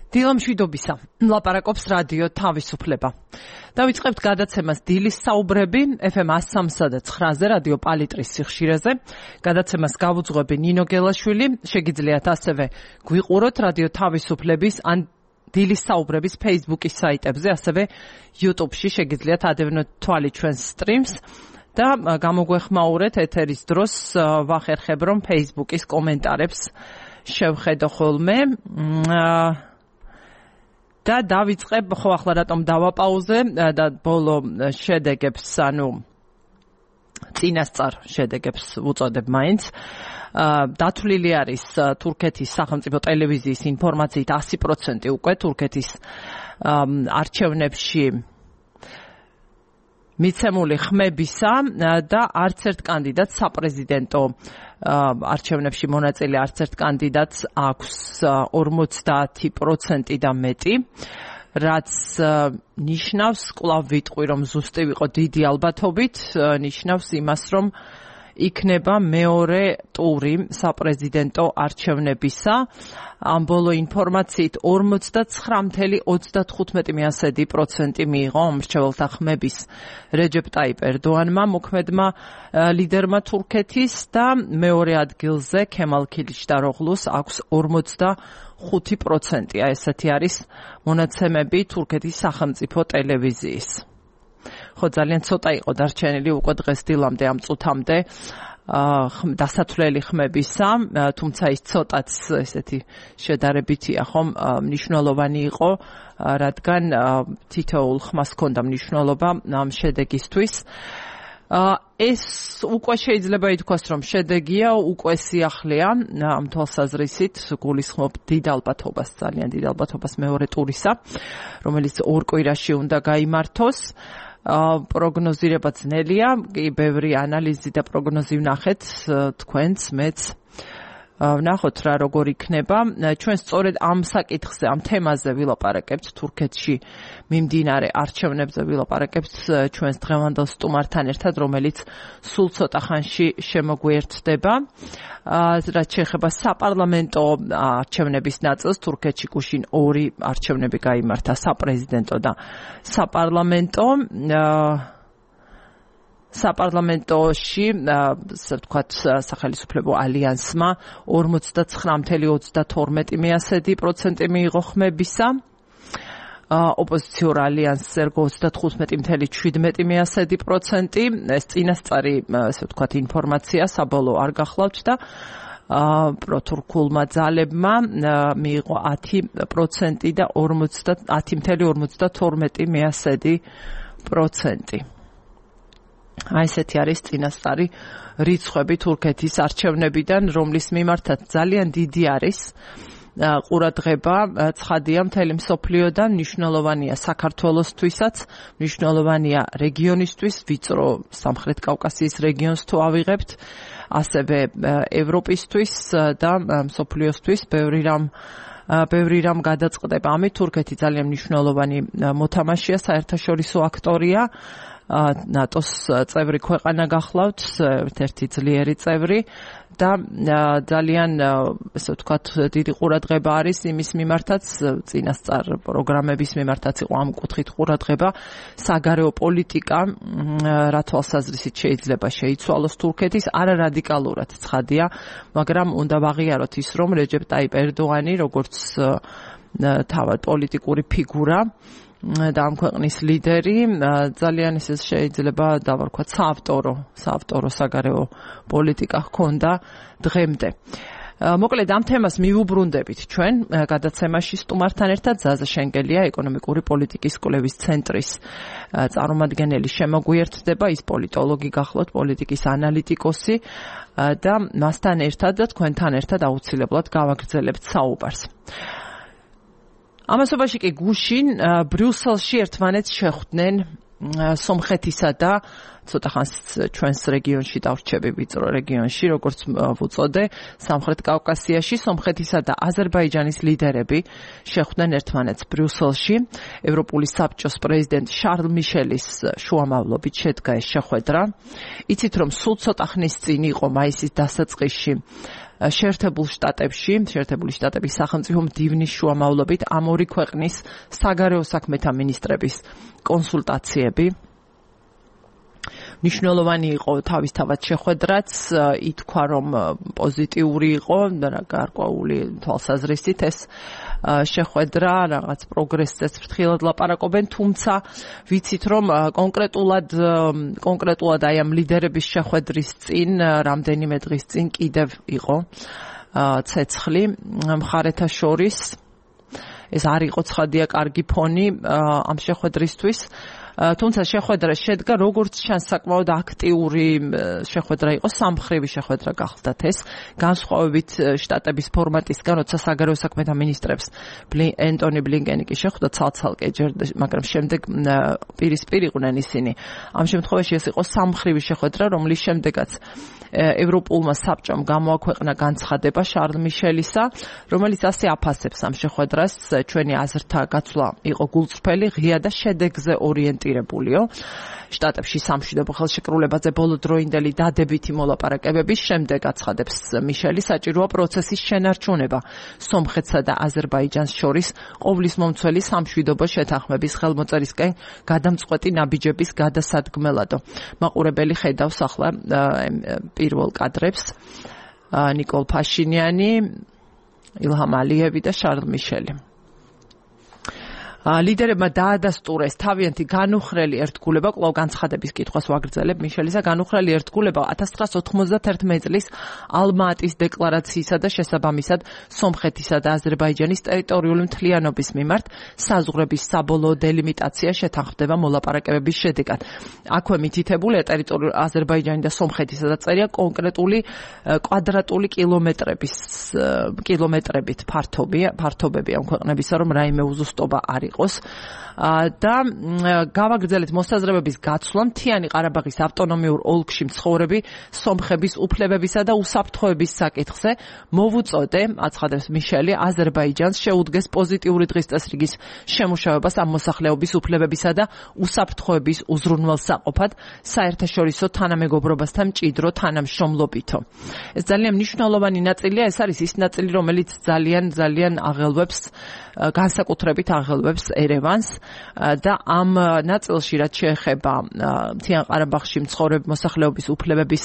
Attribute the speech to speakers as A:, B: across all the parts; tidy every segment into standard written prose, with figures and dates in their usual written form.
A: დილამშვიდობისა, ლაპარაკობს რადიო თავისუფლება. დავიწყებთ გადაცემას დილის საუბრები FM 103.9-ზე რადიო პალიტრის სიხშირეზე. გადაცემას გავუძღვები ნინო გელაშვილი. შეგიძლიათ ასევე გვიყუროთ რადიო თავისუფლების ან დილის საუბრების Facebook-ის საიტებზე, ასევე YouTube-ში შეგიძლიათ ადევნოთ თვალი ჩვენს სტრიმს და გამოგვეხმაურეთ ეთერის დროს ვახერხებ რომ Facebook-ის კომენტარებს შევხედო ხოლმე. და დავიწყებ, ხო ახლა რატომ დავაპაუზე და ბოლო შედეგებს, ანუ წინასწარ შედეგებს ვუწოდებ მაინც. დათვლილი არის თურქეთის სახელმწიფო ტელევიზიის ინფორმაციით 100% უკვე თურქეთის არჩევნებში მიცემული ხმებისა და არც ერთ კანდიდატს საპრეზიდენტო არჩევნებში მონაწილე არც ერთ კანდიდატს აქვს 50% და მეტი, რაც ნიშნავს, კვლავ ვიტყვი, რომ ზუსტი ვიყო დიდი ალბათობით, ნიშნავს იმას, რომ იქნება მეორე ტური საპრეზიდენტო არჩევნებისა. ამ ბოლო ინფორმაციით 49.35% მიიღო მრჩეველთა ხმების რეჯეპ ტაიპ ერდოანმა, მოქმედმა ლიდერმა თურქეთის და მეორე ადგილზე ქემალ ქილიშდაროღლუს აქვს 45%. ესეთი არის მონაცემები თურქეთის სახელმწიფო ტელევიზიის. ხო, ძალიან ცოტა იყო დარჩენილი უკვე დღეს დილამდე ამ წუთამდე დასათვლელი ხმებისა, თუმცა ის ცოტაც ესეთი შედარებითია, ხომ, მნიშვნელოვანი იყო, რადგან თითოეულ ხმას ჰქონდა მნიშვნელობა ამ შედეგისთვის. ეს უკვე შეიძლება ითქვას, რომ შედეგია, უკვე სიახლეა ამ თვალსაზრისით, გულისხმობ დიდ ალბათობას, ძალიან დიდ ალბათობას მეორე ტურისა, რომელიც ორ კვირაში უნდა გაიმართოს. პროგნოზირება ძნელია, ბევრი ანალიზი და პროგნოზი ვნახეთ, თქვენც, მეც ვნახოთ რა როგორ იქნება. ჩვენ სწორედ ამ საკითხზე, ამ თემაზე ვილაპარაკებთ, თურქეთში მიმდინარე არჩევნებზე ვილაპარაკებთ ჩვენს დღევანდელ სტუმართან ერთად, რომელიც სულ ცოტა ხანში შემოგვიერთდება. რაც შეეხება საპარლამენტო არჩევნების ნაწილს, თურქეთში გუშინ ორი არჩევნები გაიმართა, საპრეზიდენტო და საპარლამენტო. საპარლამენტოში, ასე ვთქვათ, სახელმწიფო ალიანსმა 49.32% მიიღო ხმებისა. ოპოზიციურ ალიანსს ერგო 35.17%. ეს წინასწარი, ასე ვთქვათ, ინფორმაცია საბოლოო არ გახლავთ და პროთურქულმა ძალებმა მიიღო 10% და 10.52%. აი ესეთი არის წინასწარი რიცხვები თურქეთის არჩევნებიდან, რომლის მიმართაც ძალიან დიდი არის ყურადღება, ცხადია მთელი მსოფლიოდან, მნიშვნელოვანია საქართველოსთვისაც, მნიშვნელოვანია რეგიონისთვის, ვიწრო სამხრეთ კავკასიის რეგიონს თუ ავიღებთ, ასევე ევროპისთვის და მსოფლიოსთვის ბევრი რამ გადაწყდება. ამით თურქეთი ძალიან მნიშვნელოვანი მოთამაშეა, საერთაშორისო აქტორია. ნატოს წევრი ქვეყანა გახლავთ, ერთ-ერთი ძლიერი წევრი და ძალიან, ასე ვთქვათ, დიდი ყურადღება არის იმის მიმართაც, წინასწარ პროგრამების მიმართაც იყო ამ კუთხით ყურადღება, საგარეო პოლიტიკა, რა თვალსაზრისით შეიძლება შეიცვალოს თურქეთის, არა რადიკალურად ცხადია, მაგრამ უნდა ვაღიაროთ ის, რომ რეჯეპ ტაიპ ერდოანი, როგორც თავად პოლიტიკური ფიგურა და ამ ქვეყნის ლიდერი, ძალიან ისე შეიძლება დავარქვათ საავტორო საგარეო პოლიტიკა ჰქონდა დღემდე. მოკლედ ამ თემას მივუბრუნდებით ჩვენ გადაცემაში სტუმართან ერთად. ზაზა შენგელია, ეკონომიკური პოლიტიკის კვლევის ცენტრის წარმომადგენელი შემოგვიერთდება, ის პოლიტოლოგი გახლავთ, პოლიტიკის ანალიტიკოსი და მასთან ერთად და თქვენთან ერთად აუცილებლად გავაგრძელებთ საუბარს. ამასობაში კი გუშინ ბრიუსელში ერთმანეთს შეხვდნენ სომხეთისა და ცოტა ხანს ჩვენს რეგიონში დავრჩები, ვიწრო რეგიონში, როგორც ვუწოდე, სამხრეთ კავკასიაში, სომხეთისა და აზერბაიჯანის ლიდერები შეხვდნენ ერთმანეთს ბრიუსელში. ევროპული საბჭოს პრეზიდენტ შარლ მიშელის შუამავლობით შედგა ეს შეხვედრა. იცით, რომ სულ ცოტა ხნის წინ იყო მაისის დასაწყისში შეერთებული შტატების სახელმწიფო მდივნის შუამავლობით ამ ორი ქვეყნის საგარეო საქმეთა მინისტრების კონსულტაციები. მნიშვნელოვანი იყო თავისთავად შეხვედრაც, ითქვა რომ პოზიტიური იყო, გარკვეული თვალსაზრისით ეს შეხვედრა, რაღაც პროგრესზეც ფრთხილად ლაპარაკობენ, თუმცა ვიცით რომ კონკრეტულად აი ამ ლიდერების შეხვედრის წინ, რამდენიმე დღის წინ კიდევ იყო ცეცხლი მხარეთა შორის. ეს არ იყო ცხადია კარგი ფონი ამ შეხვედრისთვის. თუმცა შეხვედრა შედგა როგორც ჩანს საკმაოდ აქტიური შეხვედრა იყო, სამმხრივი შეხვედრა გახლდათ ეს, განსხვავებით შტატების ფორმატისგან, როცა საგარეო საქმეთა მინისტრებს ენტონი ბლინკენი კი შეხვდა ცალ-ცალკე, მაგრამ შემდეგ პირისპირ იყვნენ ისინი. ამ შემთხვევაში ეს იყო სამმხრივი შეხვედრა, რომლის შემდეგაც ევროპულმა საბჭომ გამოაქვეყნა განცხადება შარლ მიშელისა, რომელიც ასე აფასებს ამ შეხვედრას, ჩვენი აზრთა გაცვლა იყო გულწრფელი, ღია და შედეგზე ორიენტირებულიო. შტატებში სამშვიდობო ხელშეკრულებაზე ბოლოდროინდელი დადებითი მოლაპარაკებების შემდეგ აცხადებს მიშელი, საჭიროა პროცესის შენარჩუნება სომხეთსა და აზერბაიჯანს შორის ყოვლისმომცველი სამშვიდობო შეთანხმების ხელმოწერისკენ გადამწყვეტი ნაბიჯების გადასადგმელადო. მაყურებელი ხედავს ახლა პირველ კადრებს ნიკოლ ფაშინიანი, ილჰამ ალიევი და შარლ მიშელი. ლიდერებმა დაადასტურეს თავიანთი განუხრელი ერთგულება, კვლავ განცხადების კითხვას ვაგრძელებ მიშელისა, განუხრელი ერთგულება 1991 წლის ალმა-ატის დეკლარაციისა და შესაბამისად სომხეთისა და აზერბაიჯანის ტერიტორიული მთლიანობის მიმართ საზღვრების საბოლოო დელიმიტაცია შეთანხმდება მოლაპარაკებების შედეგად. აქვე მითითებულია ტერიტორიული აზერბაიჯანი და სომხეთის დაწერია კონკრეტული კვადრატული კილომეტრებით ფართობები ამ ქვეყნებისა, რომ რაიმე უზუსტობა არ იყოს და გავაგრძელეთ მოსაზრებების გაცვლა მთიანი ყარაბაღის ავტონომიურ ოლქში მცხოვრები სომხების უფლებებისა და უსაფრთხოების საკითხზე მოვუწოდე, აცხადებს მიშელი, აზერბაიჯანს შეუდგეს პოზიტიური დღის წესრიგის შემუშავებას ამ მოსახლეობის უფლებებისა და უსაფრთხოების უზრუნველსაყოფად საერთაშორისო თანამეგობრობასთან მჭიდრო თანამშრომლობითო. ეს ძალიან მნიშვნელოვანი ნაწილია, ეს არის ის ნაწილი, რომელიც ძალიან აღელვებს, განსაკუთრებით აღელვებს ერევანს და ამ ნაწილში რაც შეეხება მთიან ყარაბაღში მცხოვრები მოსახლეობის უფლებების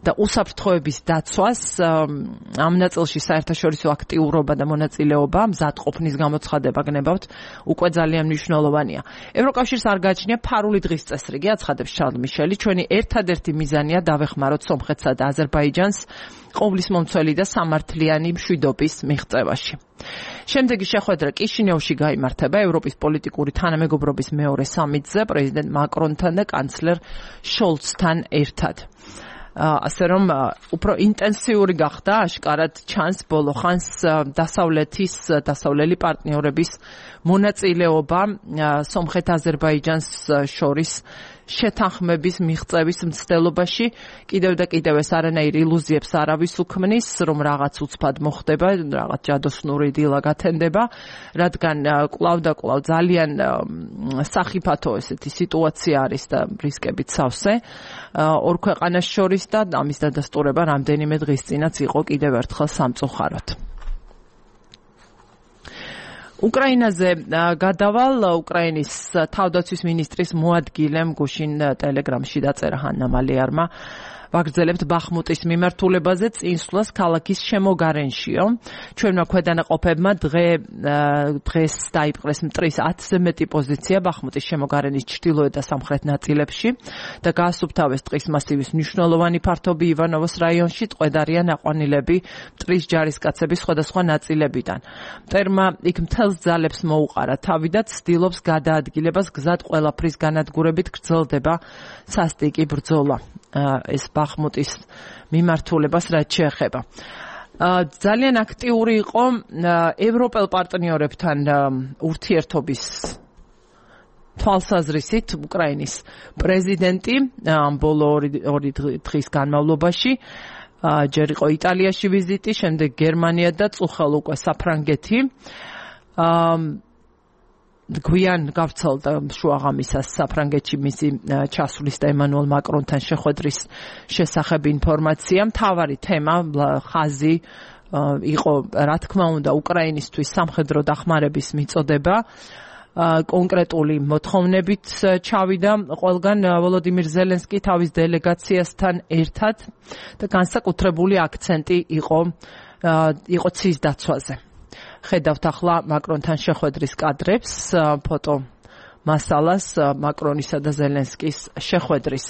A: და უსაფრთხოების დაცვას, ამ ნაწილში საერთაშორისო აქტიურობა და მონაწილეობა, მზადყოფნის გამოცხადება გნებავთ, უკვე ძალიან მნიშვნელოვანია. ევროკავშირს არ გააჩნია ფარული დღის წესრიგი, აცხადებს შარლ მიშელი, ჩვენი ერთადერთი მიზანია დავეხმაროთ სომხეთსა და აზერბაიჯანს ყოვლისმომცველი და სამართლიანი მშვიდობის მიღწევაში. შემდეგი შეხვედრა კიშინევში გაიმართება ევროპის პოლიტიკური თანამეგობრობის მეორე სამიტზე პრეზიდენტ მაკრონთან და კანცლერ შოლცთან ერთად. ასე რომ უფრო ინტენსიური გახდა, აშკარად ჩანს ბოლო ხანს დასავლელი პარტნიორების მონაწილეობა სომხეთ-აზერბაიჯანს შორის შეთანხმების მიღწევის მცდელობაში. კიდევ და კიდევ ეს არანაირ ილუზიებს არავის უქმნის, რომ რაღაც უცბად მოხდება, რაღაც ჯადოსნური დილა გათენდება, რადგან კვლავ და კვლავ ძალიან სახიფათო ესეთი სიტუაცია არის და რისკებით სავსე ორ ქვეყანას შორის და ამის დადასტურება რამდენიმე დღის წინაც იყო კიდევ ერთხელ სამწუხაროდ. უკრაინაზე გადავალ, უკრაინის თავდაცვის მინისტრის მოადგილემ გუშინ ტელეგრამში დაწერა ჰანა მალეარმა, ვაგრძელებთ ბახმუტის მიმართულებაზე წინსვლას ქალაქის შემოგარენშიო. ჩვენმა ქვედანაყოფებმა დღეს დაიპყრეს მტრის 10-ზე მეტი პოზიცია ბახმუტის შემოგარენის ჩრდილოეთ და სამხრეთ ნაწილებში და გაასუფთავეს ტყის მასივის მნიშვნელოვანი ფართობი ივანოვოს რაიონში, ტყვედარიან აყვანილები მტრის ჯარისკაცების სხვადასხვა ნაწილებიდან. მტერმა იქ მთელს ძალებს მოუყარა თავი და ცდილობს გადაადგილებას გზად ყველაფრის განადგურებით გრძელდება სასტიკი ბრძოლა. ეს ბახმუტის მიმართულებას რაც შეეხება. ძალიან აქტიური იყო ევროპელ პარტნიორებთან ურთიერთობის თვალსაზრისით უკრაინის პრეზიდენტი ბოლო ორი დღის განმავლობაში. ჯერ იყო იტალიაში ვიზიტი, შემდეგ გერმანია და წუხელ უკვე საფრანგეთი. გვიან გავრცელდა შუაღამისას საფრანგეთში მისი ჩასვლის და ემანუელ მაკრონთან შეხვედრის შესახებ ინფორმაცია. მთავარი თემა ხაზი იყო, რა თქმა უნდა, უკრაინისთვის სამხედრო დახმარების მიწოდება. კონკრეტული მოთხოვნებით ჩავიდა ყველგან ვოლოდიმირ ზელენსკი თავის დელეგაციასთან ერთად და განსაკუთრებული აქცენტი იყო ცის დაცვაზე. ხედავთ ახლა მაკრონთან შეხვედრის კადრებს, ფოტო მასალას მაკრონისა და ზელენსკის შეხვედრის.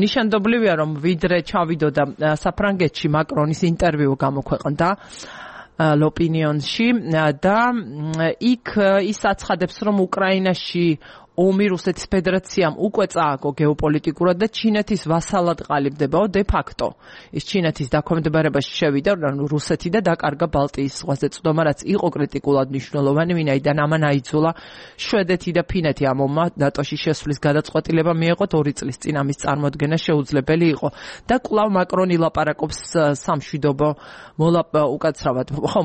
A: ნიშანდობლივია, რომ ვიდრე ჩავიდოდა საფრანგეთში, მაკრონის ინტერვიუ გამოქვეყნდა ლოპინიონში და იქ ის აცხადებს, რომ უკრაინაში ომი რუსეთის ფედერაციამ უკვე წააგო გეოპოლიტიკურად და ჩინეთის ვასალად ყალიბდებაო დე ფაქტო. ის ჩინეთის დაქვემდებარებაში შევიდა რუსეთი და დაკარგა ბალტიის ზღვაზე წვდომა, რაც იყო კრიტიკულად მნიშვნელოვანი, ვინაიდან ამან აიძულა შვედეთი და ფინეთი ამ ომმა ნატოში შესვლის გადაწყვეტილება მიეღოთ 2 წლის წინ ამის წარმოქმნა შეუძლებელი იყო. და კვლავ მაკრონი ლაპარაკობს სამშვიდობო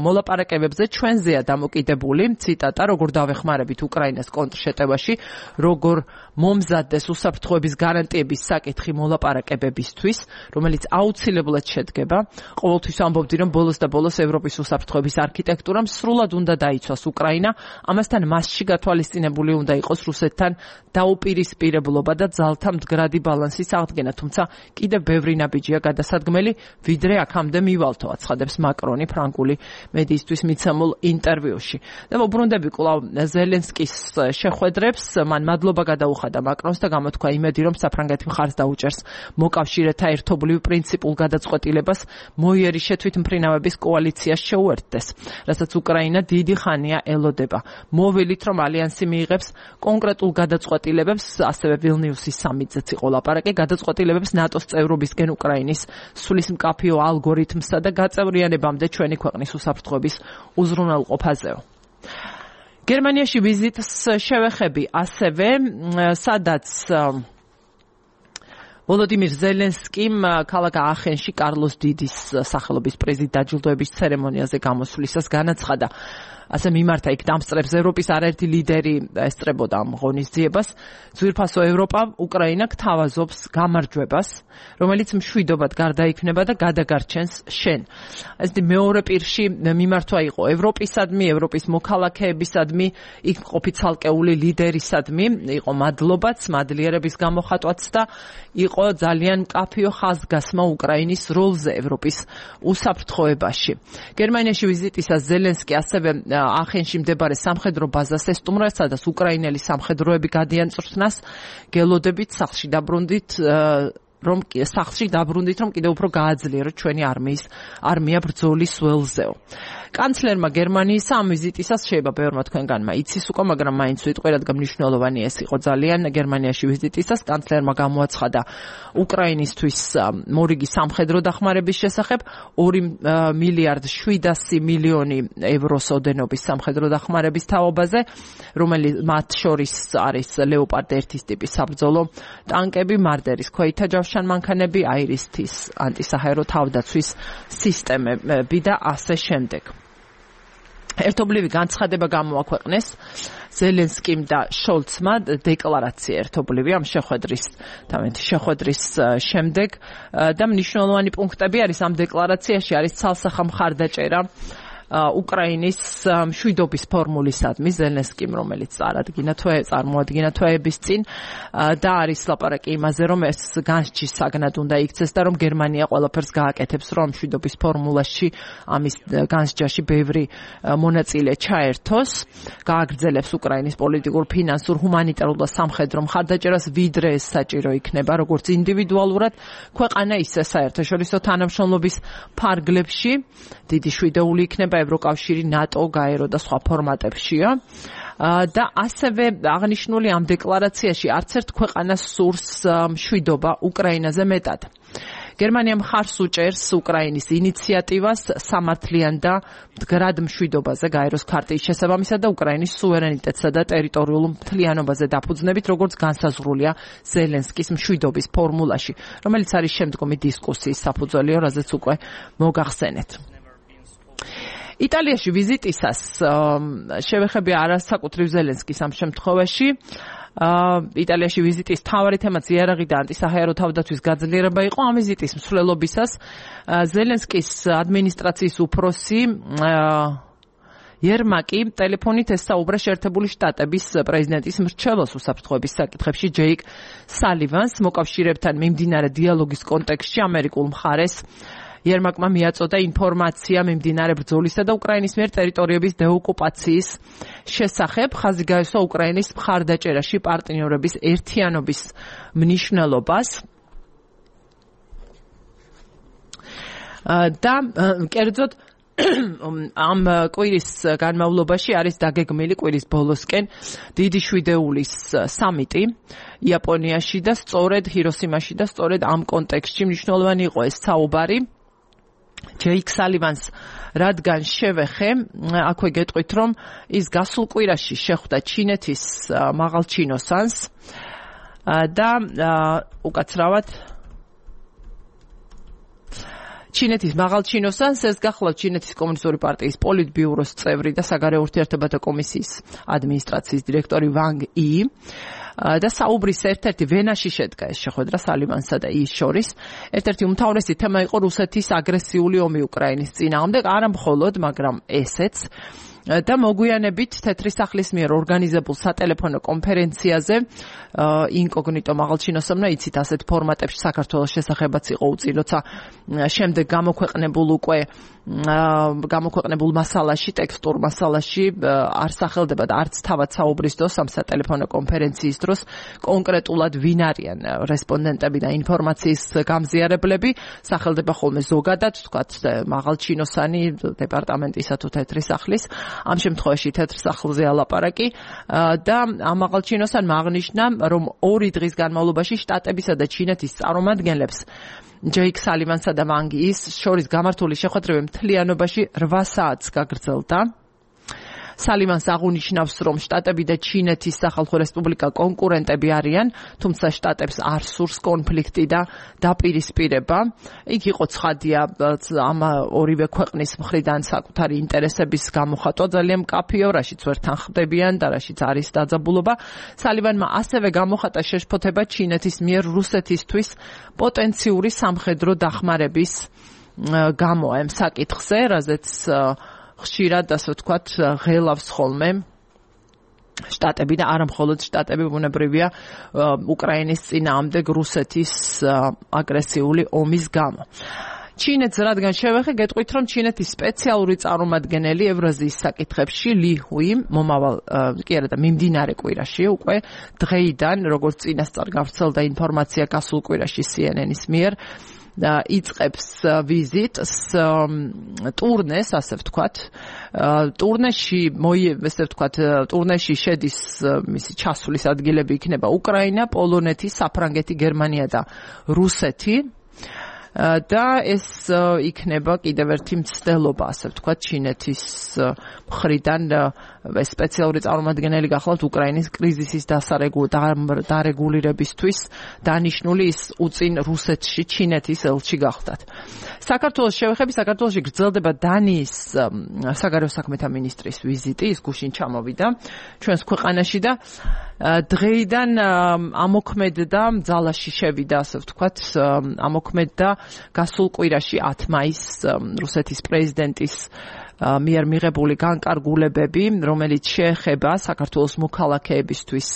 A: მოლაპარაკებებზე ჩვენზეა დამოკიდებული, ციტატა, როგორ დავეხმარებით უკრაინას კონტრშეტევაში, როგორ მომზადდეს უსაფრთხოების გარანტიების საკითხი მოლაპარაკებებისთვის, რომელიც აუცილებლად შედგება. ყოველთვის ამბობდი, რომ ბოლოს და ბოლოს ევროპის უსაფრთხოების არქიტექტურამ სრულად უნდა დაიცვას უკრაინა, ამასთან მასში გათვალისწინებული უნდა იყოს რუსეთთან დაუპირისპირებლობა და ძალთა მდგრადი ბალანსის აღდგენა, თუმცა კიდევ ბევრი ნაბიჯია გადასადგმელი, ვიდრე აქამდე მივალთო, აცხადებს მაკრონი ფრანგული მედიისთვის მიცემულ ინტერვიუში. და მოbrunდები კვლავ ზელენსკის შეხვედრებს, მან მადლობა გადაუხადა მაკრონს და გამოთქვა იმედი, რომ საფრანგეთი მხარს დაუჭერს მოკავშირეთა ერთობლივ პრინციპულ გადაწყვეტილებას მოიერი შეთვითმფრინავების კოალიციას შეუერთდეს, რასაც უკრაინა დიდი ხანია ელოდება. მოვილით, რომ ალიანსი მიიღებს კონკრეტულ გადაწყვეტილებებს, ასევე ვილნიუსის სამიტზეც იყო ლაპარაკი, გადაწყვეტილებებს ნატოს წევრობისკენ უკრაინის სulis მკაფიო ალგორითმსა და გაწევრიანებამდე ჩვენი ქვეყნის უსაფრთხოების უზრუნველყოფაზეო. გერმანიაში ვიზიტს შევეხები ასევე, სადაც ვოლოდიმირ ზელენსკიმ ქალაქ აახენში კარლოს დიდის სახელობის პრიზით დაჯილდოების ცერემონიაზე გამოსვლისას განაცხადა. ასე მიმართა იქ დამსწრებს ევროპის არაერთი ლიდერი ესწრებოდა ამ ღონისძიებას. ძვირფასო ევროპა უკრაინა გთავაზობს გამარჯვებას, რომელიც მშვიდობად გარდაიქმნება და გადაგარჩენს შენ. ესე მეორე პირში მიმართვა იყო ევროპისადმი, ევროპის მოქალაქეებისადმი, იქ მყოფი ცალკეული ლიდერისადმი, იყო მადლობაც, მადლიერების გამოხატვაც და იყო ძალიან მკაფიო ხაზგასმა უკრაინის როლზე ევროპის უსაფრთხოებაში. გერმანიაში ვიზიტისას ზელენსკი ასევე აახენში მდებარე სამხედრო ბაზას ესტუმრა, სადაც უკრაინელი სამხედროები გადიან წვრთნას, გელოდებით სახლში დაბრუნდით, რომ კიდევ უფრო გააძლიეროთ ჩვენი არმია ბრძოლის ველზეო. კანცლერმა გერმანიის ამ ვიზიტისას შეიძლება ბევრმა თქვენგანმა იცის უკვე, მაგრამ მაინც ვიტყვი, რადგან მნიშვნელოვანი ეს იყო ძალიან გერმანიაში ვიზიტისას. კანცლერმა გამოაცხადა უკრაინისთვის მორიგი სამხედრო დახმარების შესახებ 2 მილიარდ 700 მილიონი ევროს ოდენობის სამხედრო დახმარების თაობაზე, რომელიც მათ შორის არის ლეოპარდ 1 ტიპის საბრძოლო ტანკები, მარდერის ქვეითა ჯავშან მანქანები, აირისთის ანტისაჰაერო თავდაცვის სისტემები და ასე შემდეგ. ერთობლივი განცხადება გამოაქვეყნეს ზელენსკიმ და შოლცმა დეკლარაცია ერთობლივი ამ შეხვედრის შემდეგ და მნიშვნელოვანი პუნქტები არის ამ დეკლარაციაში, არის ცალსახა მხარდაჭერა უკრაინის მშვიდობის ფორმულისადმი ზელენსკიმ, რომელიც წარმოადგინა თვეების წინ და არის ლაპარაკი იმაზე, რომ ეს განსჯის საგნად უნდა იქცეს და რომ გერმანია ყველაფერს გააკეთებს, რომ მშვიდობის ფორმულაში ამის განსჯაში ბევრი მონაწილე ჩაერთოს, გააგრძელებს უკრაინის პოლიტიკურ, ფინანსურ, ჰუმანიტარულ და სამხედრო მხარდაჭერას, ვიდრე ეს საჭირო იქნება, როგორც ინდივიდუალურად, ქვეყანა ისე საერთაშორისო თანამშრომლობის ფარგლებში, დიდი შვიდეული იქნება ევროკავშირი, ნატო, გაერო და სხვა ფორმატებშია. და ასევე აღნიშნული ამ დეკლარაციაში არც ერთ ქვეყანას სურს მშვიდობა უკრაინაზე მეტად. გერმანია მხარს უჭერს უკრაინის ინიციატივას სამართლიან და მდგრად მშვიდობაზე გაეროს ქარტიის შესაბამისად და უკრაინის სუვერენიტეტსა და ტერიტორიულ მთლიანობაზე დაფუძნებით, როგორც განსაზღვრულია ზელენსკის მშვიდობის ფორმულაში, რომელიც არის შემდგომი დისკუსიის საფუძველიო, რაზეც უკვე მოგახსენეთ. იტალიაში ვიზიტისას შევეხებია არასაკუთრივ ზელენსკის ამ შემთხვევაში. იტალიაში ვიზიტის მთავარი თემაც იარაღი და ანტისაჰაერო თავდაცვის გაძლიერება იყო. ამ ვიზიტის მსვლელობისას ზელენსკის ადმინისტრაციის უფროსი იერმაკი ტელეფონით ესაუბრა შეერთებული შტატების პრეზიდენტის მრჩეველს უსაფრთხოების საკითხებში ჯეიკ სალივანს მოკავშირეებთან მიმდინარე დიალოგის კონტექსტში ამერიკულ მხარეს. იერმაკმა მიაწოდა ინფორმაცია მიმდინარე ბრძოლისა და უკრაინის მიერ ტერიტორიების დეოკუპაციის შესახებ. ხაზი გაესვა უკრაინის მხარდაჭერაში პარტნიორების ერთიანობის მნიშვნელობას. და კერძოდ ამ კვირის განმავლობაში არის დაგეგმილი კვირის ბოლოსკენ დიდი შვიდეულის სამიტი იაპონიაში და სწორედ ჰიროსიმაში და სწორედ ამ კონტექსტში მნიშვნელოვანი იყო ეს საუბარი. ჯეიკ სალივანს რადგან შევეხე, აქვე გეტყვით, რომ ის გასულ კვირაში შეხვდა ჩინეთის მაღალჩინოსანს და უკაცრავად ჩინეთის მაღალჩინოსანს ეს გახლავთ ჩინეთის კომუნისტური პარტიის პოლიტბიუროს წევრი და საგარეო ურთიერთობათა კომისიის ადმინისტრაციის დირექტორი ვანგ ი და საუბრის ერთ-ერთი ვენაში შედგა ეს შეხვედრა სალივანსა და ის შორის. ერთ-ერთი უმთავრესი თემა იყო რუსეთის აგრესიული ომი უკრაინის წინააღმდეგ, არა მხოლოდ, მაგრამ ესეც. და მოგვიანებით თეთრი სახლის მიერ ორგანიზებულ სატელეფონო კონფერენციაზე ინკოგნიტო მაღალჩინოსებმა იცით ასეთ ფორმატებში საქართველოს შესახებაც იყო უწი, როცა შემდეგ გამოქვეყნებულ მასალაში, ტექსტურ მასალაში არ სახელდება და არც თავად საუბრის დროს ამ სატელეფონო კონფერენციის დროს კონკრეტულად ვინ არიან რესპონდენტები და ინფორმაციის გამზიარებლები, სახელდება ხოლმე ზოგადად, თქვათ მაღალჩინოსანი დეპარტამენტისა თუ თეთრი სახლის. ამ შემთხვევაში თეთრ სახლზე ალაპარაკი და ამ მაღალჩინოსანმა აღნიშნა, რომ 2 დღის განმავლობაში შტატებისა და ჩინეთის წარმომადგენლებს ჯეიკ სალივანსა და ვანგ ის შორის გამართული შეხვედრები მთლიანობაში 8 საათს გაგრძელდა. სალივანს აღნიშნავს, რომ შტატები და ჩინეთის სახალხო რესპუბლიკა კონკურენტები არიან, თუმცა შტატებს არ სურს კონფლიქტი და დაპირისპირება. იქ იყო ცხადია ამ ორივე ქვეყნის მხრიდან საკუთარი ინტერესების გამოხატვა ძალიან მკაფიო, რაშიც ვერ თანხმდებიან და რაშიც არის დაძაბულობა. სალივანმა ასევე გამოხატა შეშფოთება ჩინეთის მიერ რუსეთისთვის პოტენციური სამხედრო დახმარების გამო ამ საკითხზე, რაზეც ხშირად, ასე ვთქვათ, ღელავს ხოლმე შტატები და არა მხოლოდ შტატები, ბუნებრივია უკრაინის წინააღმდეგ რუსეთის აგრესიული ომის გამო. ჩინეთს რადგან შევეხე, გეტყვით, რომ ჩინეთის სპეციალური წარმომადგენელი ევრაზიის საკითხებში ალი ჰუი მომავალ კი არა და მიმდინარე კვირაში უკვე დღეიდან, როგორც წინასწარ გავრცელდა ინფორმაცია გასულ კვირაში CNN-ის მიერ იწყებს ვიზიტს ტურნეს, ასე ვთქვათ. ტურნეში შედის მისი ჩასვლის ადგილები იქნება უკრაინა, პოლონეთი, საფრანგეთი, გერმანია და რუსეთი. და ეს იქნება კიდევ ერთი მცდელობა, ასე ვთქვათ, ჩინეთის მხრიდან სპეციალური წარმომადგენელი გახლავთ უკრაინის კრიზისის დარეგულირებისთვის დანიშნული ის უწინ რუსეთში ჩინეთის ელჩი გახლდათ. საქართველოს შევეხები, საქართველოში გრძელდება დანიის საგარეო საქმეთა მინისტრის ვიზიტი, ის გუშინ ჩამოვიდა ჩვენს ქვეყანაში და დღეიდან ამოქმედდა, ძალაში შევიდა, ასე ვთქვათ, ამოქმედდა გასულ კვირაში 10 მაისს რუსეთის პრეზიდენტის მიერ მიღებული განკარგულებები, რომელიც შეეხება საქართველოს მოქალაქეებისთვის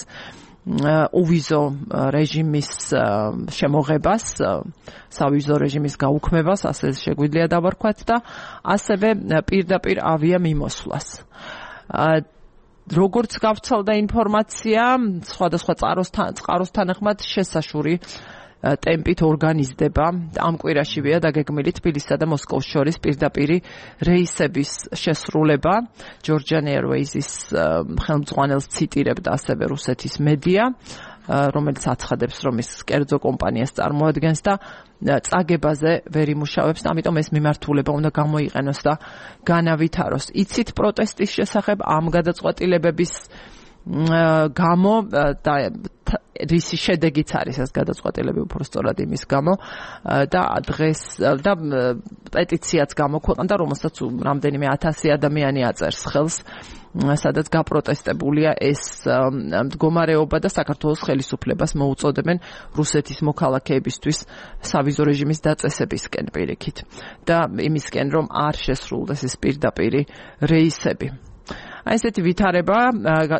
A: უვიზო რეჟიმის შემოღებას, სავიზო რეჟიმის გაუქმებას, ასე შეგვიძლია დავარქვათ და ასევე პირდაპირ ავიამიმოსვლას. როგორც გავრცელდა ინფორმაცია, სხვადასხვა წყაროს თანახმად შესაშური ტემპით ორგანიზდება ამ კვირაშივეა დაგეგმილი თბილისსა და მოსკოვის შორის პირდაპირი რეისების შესრულება. Georgian Airways-ის ხელმძღვანელს ციტირებდა ასევე რუსეთის მედია, რომელიც აცხადებს, რომ ის კერძო კომპანიას წარმოადგენს და წაგებაზე ვერ იმუშავებს, ამიტომ ეს მიმართულება უნდა გამოიყენოს და განავითაროს. იცით პროტესტის შესახებ ამ გადაწყვეტილებების გამო და რისი შედეგიც არის ეს გადაწყვეტილები უფრო სწორად იმის გამო და დღეს და პეტიციაც გამოქვეყნდა, რომელსაც რამდენიმე 1000 ადამიანი აწერს ხელს, სადაც გაპროტესტებულია ეს მდგომარეობა და საქართველოს ხელისუფლებას მოუწოდებენ რუსეთის მოქალაქეებისთვის სავიზო რეჟიმის დაწესებისკენ პირიქით და იმისკენ რომ არ შესრულდეს ეს პირდაპირი რეისები. Აი ესეთი ვითარება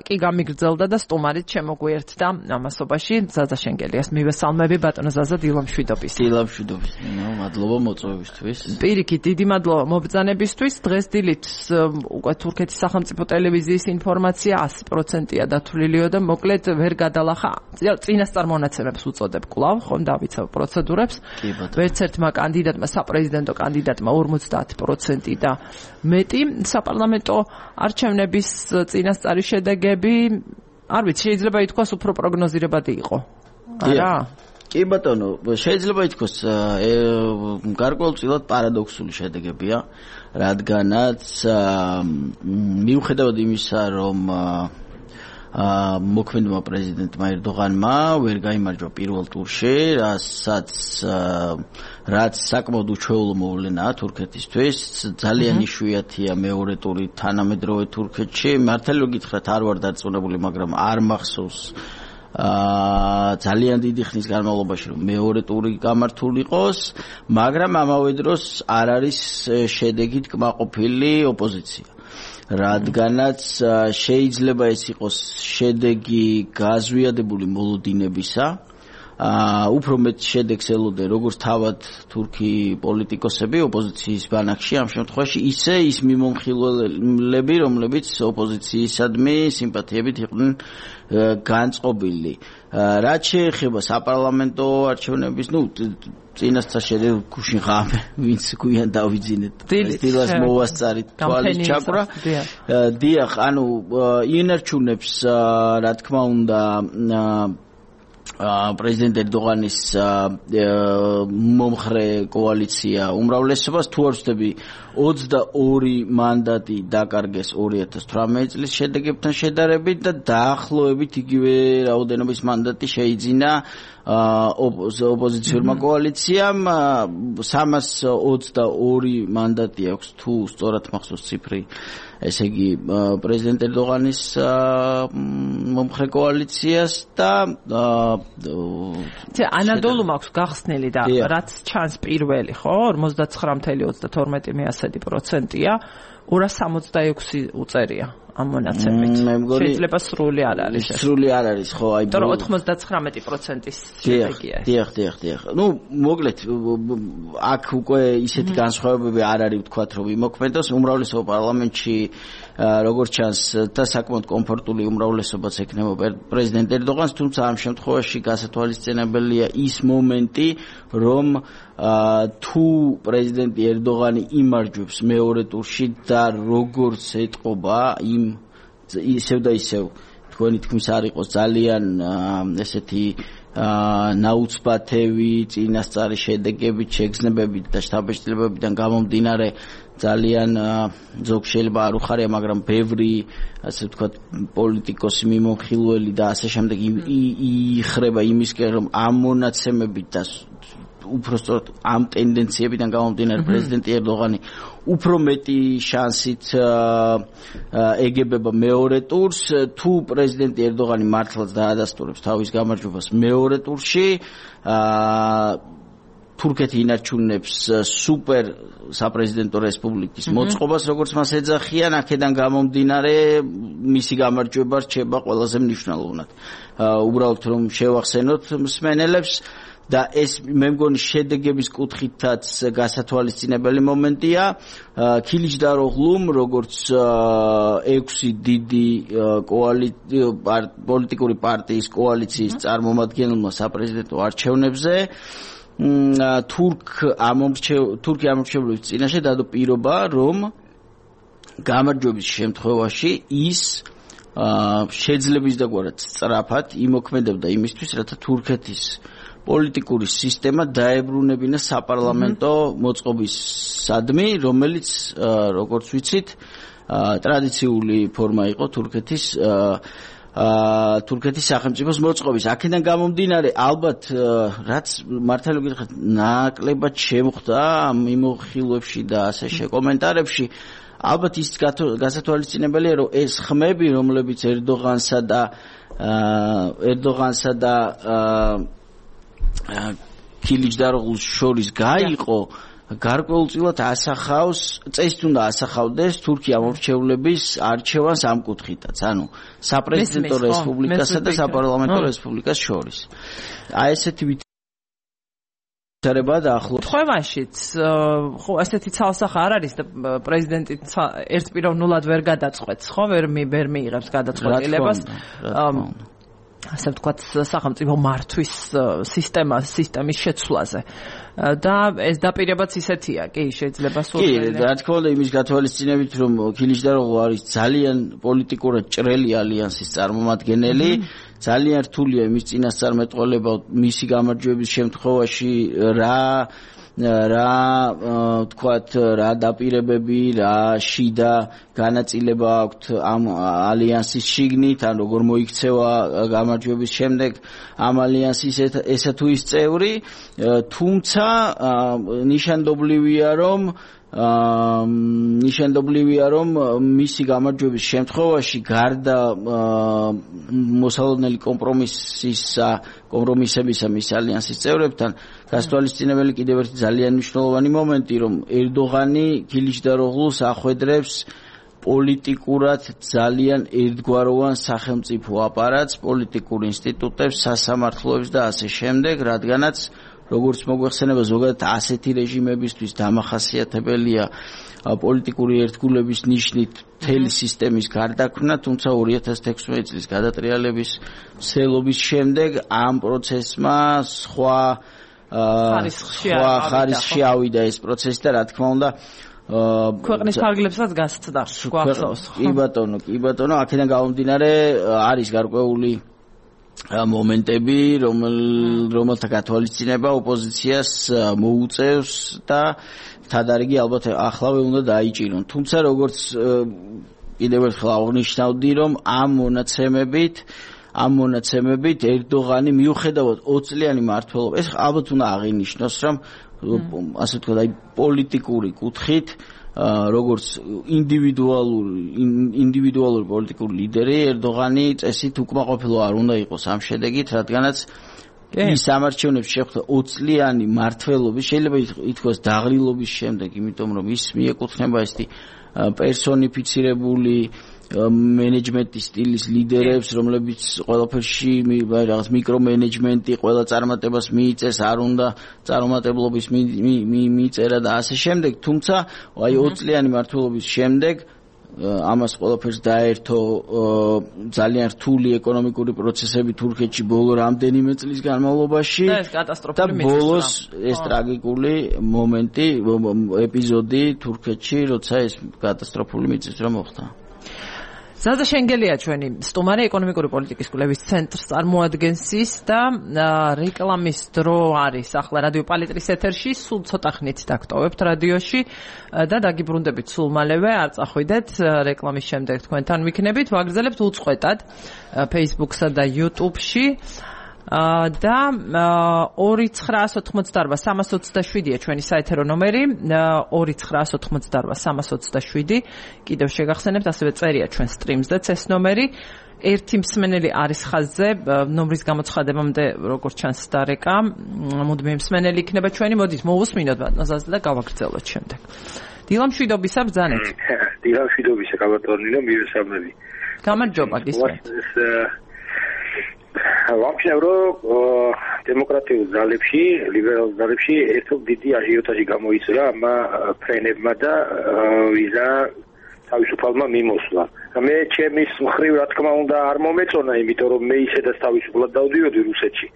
A: კი გამიგრძელდა და სტუმარით შემოგვიერთდა ამასობაში ზაზა შენგელიას მივესალმები ბატონო ზაზა დილამშვიდობის.
B: დილამშვიდობის. მადლობა მოწვევისთვის.
A: პირიქით დიდი მადლობა მობრძანებისთვის. დღეს დილით უკვე თურქეთის სახელმწიფო ტელევიზიის ინფორმაცია 100%-ია დათვლილია და მოკლედ ვერ გადალახა. წინასწარ მონაცემებს უწოდებ კვლავ, ხომ დავიცავ პროცედურებს. ვერც ერთმა კანდიდატმა, საპრეზიდენტო კანდიდატმა 50% და მეტი საპარლამენტო არჩევნები წინასწარი შედეგები, არ ვიცი, შეიძლება ითქვას უფრო პროგნოზირებადი იყო. არა?
B: კი ბატონო, შეიძლება ითქვას გარკვეულწილად პარადოქსული შედეგებია, რადგანაც მიუხედავად იმისა, რომ მოქმედმა პრეზიდენტმა ერდოღანმა ვერ გაიმარჯვა პირველ ტურში, რაც საკმაოდ უჩვეულო მოვლენაა თურქეთისთვის. ძალიან იშვიათია მეორე ტური თანამედროვე თურქეთში. მართალი რომ გითხრათ, არ ვარ დარწმუნებული, მაგრამ არ მახსოვს ძალიან დიდი ხნის განმავლობაში რომ მეორე ტური გამართული იყოს, მაგრამ ამავე დროს არ არის შედეგით კმაყოფილი ოპოზიცია. რადგანაც შეიძლება ეს იყოს შედეგი გაზვიადებული მოლოდინებისა, უფრო მეტ შედეგს ელოდნენ როგორც თავად თურქი პოლიტიკოსები ოპოზიციის ბანაკში ამ შემთხვევაში, ისე ის მიმომხილველები, რომლებიც ოპოზიციისადმი სიმპათიებით იყვნენ განწყობილი. რაც შეეხება საპარლამენტო არჩევნების, წინასწარ შედეგი გუშინ ღამე, ვინც გვიან დავიძინეთ. დილას მოვასწარით თვალის ჩაკვრა. დიახ, ანუ ინარჩუნებს რა თქმა უნდა პრეზიდენტ ერდოღანის მომხრე კოალიცია უმრავლესობას, თუ არ ვცდები 22 მანდატი დაკარგეს 2018 წლის შედეგებთან შედარებით და დაახლოებით იგივე რაოდენობის მანდატი შეიძინა ოპოზიციურმა კოალიციამ. 322 მანდატი აქვს, თუ სწორად მახსოვს ციფრი, ესე იგი პრეზიდენტ ერდოღანის მომხრე კოალიციას და
A: ანადოლუ მაქვს გახსნილი და რაც ჩანს პირველი, ხო, 49.32%-ია, 266 უწერია ამ მონაცემით. შეიძლება სრული არ არის.
B: სრული არ არის, ხო, აი
A: 99%-ის შედეგია.
B: დიახ. მოკლედ აქ უკვე ისეთი განსხვავებები არ არის, ვთქვათ, რომ იმოქმედოს უმრავლესობა პარლამენტში, როგორც ჩანს და საკმაოდ კომფორტული უმრავლესობაც ექნება პრეზიდენტ ერდოღანს, თუმცა ამ შემთხვევაში გასათვალისწინებელია ის მომენტი, რომ თუ პრეზიდენტი ერდოღანი იმარჯვებს მეორე ტურში და როგორც ეტყობა ისევ და ისევ თქვენი თქმის არ იყოს ძალიან ესეთი ნაუცბათევი წინასწარი შედეგებით, შეგრძნებებით და შთაბეჭდილებებიდან გამომდინარე ძალიან ზოგ შეიძლება არ უხარია, მაგრამ ბევრი ასე ვთქვათ პოლიტიკოსი მიმოხილველი და ასე შემდეგ იხრება იმისკენ, რომ ამ მონაცემებით და უფრო სწორად ამ ტენდენციებიდან გამომდინარე პრეზიდენტი ერდოღანი უფრო მეტი შანსით ეგებება მეორე ტურს. თუ პრეზიდენტი ერდოღანი მართლაც დაადასტურებს თავის გამარჯვებას მეორე ტურში, თურქეთი ინარჩუნებს სუპერ საპრეზიდენტო რესპუბლიკის მოწყობას, როგორც მას ეძახიან, აქედან გამომდინარე მისი გამარჯვება რჩება ყველაზე მნიშვნელოვნად. უბრალოდ რომ შევახსენოთ მსმენელებს და ეს მე მგონი შედეგების კუთხითაც გასათვალისწინებელი მომენტია. ქილიჩდაროღლუმ, როგორც 6 დიდი პოლიტიკური პარტიის კოალიციის წარმომადგენელმა საპრეზიდენტო არჩევნებზე თურქი ამორჩევლობის წინაშე დადო პირობა, რომ გამარჯვების შემთხვევაში ის შეძლებისდაგვარად სწრაფად იმოქმედებდა იმისთვის, რათა თურქეთის პოლიტიკური სისტემა დაებრუნებინა საპარლამენტო მოწყობისადმი, რომელიც როგორც ვიცით ტრადიციული ფორმა იყო თურქეთის თურქეთის სახელმწიფოს მოწყობის. აქედან გამომდინარე, ალბათ რაც მართალი გითხრათ, ნაკლებად შემხვდა ამ მიმოხილვებში და ასე შეკომენტარებში, ალბათ ის გასათვალისწინებელია, რომ ეს ხმები, რომლებიც ერდოღანსა და ქილიჯდაროღლუს შორის გაიყო, გარკვეულწილად ასახავს, წესით უნდა ასახავდეს თურქია მომრჩევლების არჩევანს ამ კუთხითაც, ანუ საპრეზიდენტო რესპუბლიკასა და საპარლამენტო რესპუბლიკას შორის. აი ესეთი ვითარება დაახლოებით.
A: ხვევაშიც, ხო, ასეთი ცალსახა არ არის და პრეზიდენტი ერთპიროვნულად ვერ გადაწყვეტს, ხო, ვერ მიიღებს გადაწყვეტილებას. ასე ვთქვათ, სახელმწიფო მართვის სისტემის შეცვლაზე. და ეს დაპირებაც ისეთია, კი, შეიძლება სულ.
B: კი, რა თქმა უნდა, იმის გათვალისწინებით, რომ ქილიჯდაროღლუ არის ძალიან პოლიტიკურად ჭრელი ალიანსის წარმომადგენელი, ძალიან რთულია იმის წინასწარმეტყველება მისი გამარჯვების შემთხვევაში რა დაპირებები, რა შიდა განაწილება აქვთ ამ ალიანსის შიგნით, ან როგორ მოიქცევა გამარჯვების შემდეგ ამ ალიანსის ესა თუ ის წევრი, თუმცა ნიშანდობლივია, რომ მისი გამარჯვების შემთხვევაში გარდა მოსალოდნელი კომპრომისებისა მის ალიანსის წევრებთან, გასათვალისწინებელი კიდევ ერთი ძალიან მნიშვნელოვანი მომენტი, რომ ერდოღანი ქილიჯდაროღლუს ახვედრებს პოლიტიკურად ძალიან ერთგვაროვან სახელმწიფო აპარატს, პოლიტიკურ ინსტიტუტებს, სასამართლოებს და ასე შემდეგ, რადგანაც როგორც მოგვეხსენება, ზოგადად ასეთი რეჟიმებისთვის დამახასიათებელია პოლიტიკური ერთგულების ნიშნით მთელი სისტემის გარდაქმნა, თუმცა 2016 წლის გადატრიალების მსვლელობის შემდეგ ამ პროცესმა სხვა ხარისხში ავიდა ეს პროცესი და რა თქმა უნდა
A: ქვეყნის ფარგლებსაც გასცდა გვახსოვს.
B: კი ბატონო, აქედან გამომდინარე არის გარკვეული მომენტები, რომელთა გათვალისწინება ოპოზიციას მოუწევს და თადარიგი ალბათ ახლავე უნდა დაიჭირონ. თუმცა როგორც კიდევ ერთხელ აღნიშნავდი, რომ ამ მონაცემებით ერდოღანი მიუხედავად 20 წლიანი მმართველობა, ეს ალბათ უნდა აღინიშნოს, რომ ასე ვთქვათ, აი პოლიტიკური კუთხით როგორც ინდივიდუალური პოლიტიკური ლიდერი ერდოღანი წესით უკმაყოფილო არ უნდა იყოს ამ შედეგით, რადგანაც ის ამარჩევნებს შეხვდა 20 წლიანი მმართველობის, შეიძლება ითქვას დაღლილობის შემდეგ, იმიტომ რომ ის მიეკუთვნება ესეთი პერსონიფიცირებული მენეჯმენტის სტილის ლიდერებს, რომლებიც ყველაფერში რაღაც მიკრომენეჯმენტი, ყველა წარმატებას მიიწეს, არ უნდა წარუმატებლობის მიწერა და ასე შემდეგ. თუმცა აი 20 წლიანი მმართველობის შემდეგ ამას ყველაფერს დაერთო ძალიან რთული ეკონომიკური პროცესები თურქეთში ბოლო რამდენიმე წლის განმავლობაში და ბოლოს ეს ტრაგიკული მომენტი, ეპიზოდი თურქეთში, როცა ეს კატასტროფული მიწისძვრა მოხდა.
A: ზადა შენგელია ჩვენი სტუმარი, ეკონომიკური პოლიტიკის კვლევის ცენტრს წარმოადგენს ის და რეკლამის დრო არის ახლა რადიო პალიტრის ეთერში, სულ ცოტა ხნით დაგტოვებთ რადიოში და დაგიბრუნდებით სულ მალევე, არ წახვიდეთ, რეკლამის შემდეგ თქვენთან ვიქნებით, ვაგრძელებთ უწყვეტად Facebook-სა და YouTube-ში. და 2988-327-ია ჩვენი საეთერო ნომერი, 2988-327, კიდევ შეგახსენებთ, ასევე წერია ჩვენ სტრიმზეც ეს ნომერი. ერთი მსმენელი არის ხაზზე, ნომრის გამოცხადებამდე როგორც ჩანს დარეკა, მუდმივი მსმენელი იქნება ჩვენი, მოდით მოვუსმინოთ ბატონზე და გავაგრძელოთ შემდეგ. დილამშვიდობისა ბრძანეთ.
C: დილამშვიდობისა გაბატონილო, მივესალმები.
A: გამარჯობა გისმენთ.
C: ვამჩნევ, რომ დემოკრატიულ ძალებში, ლიბერალურ ძალებში ერთობ დიდი აჟიოტაჟი გამოიწვია ამ ფრენებმა და ვიზა თავისუფალმა მიმოსვლა. მე ჩემის მხრივ რა თქმა უნდა არ მომეწონა, იმიტომ რომ მე ისედაც თავისუფლად დავდიოდი რუსეთში.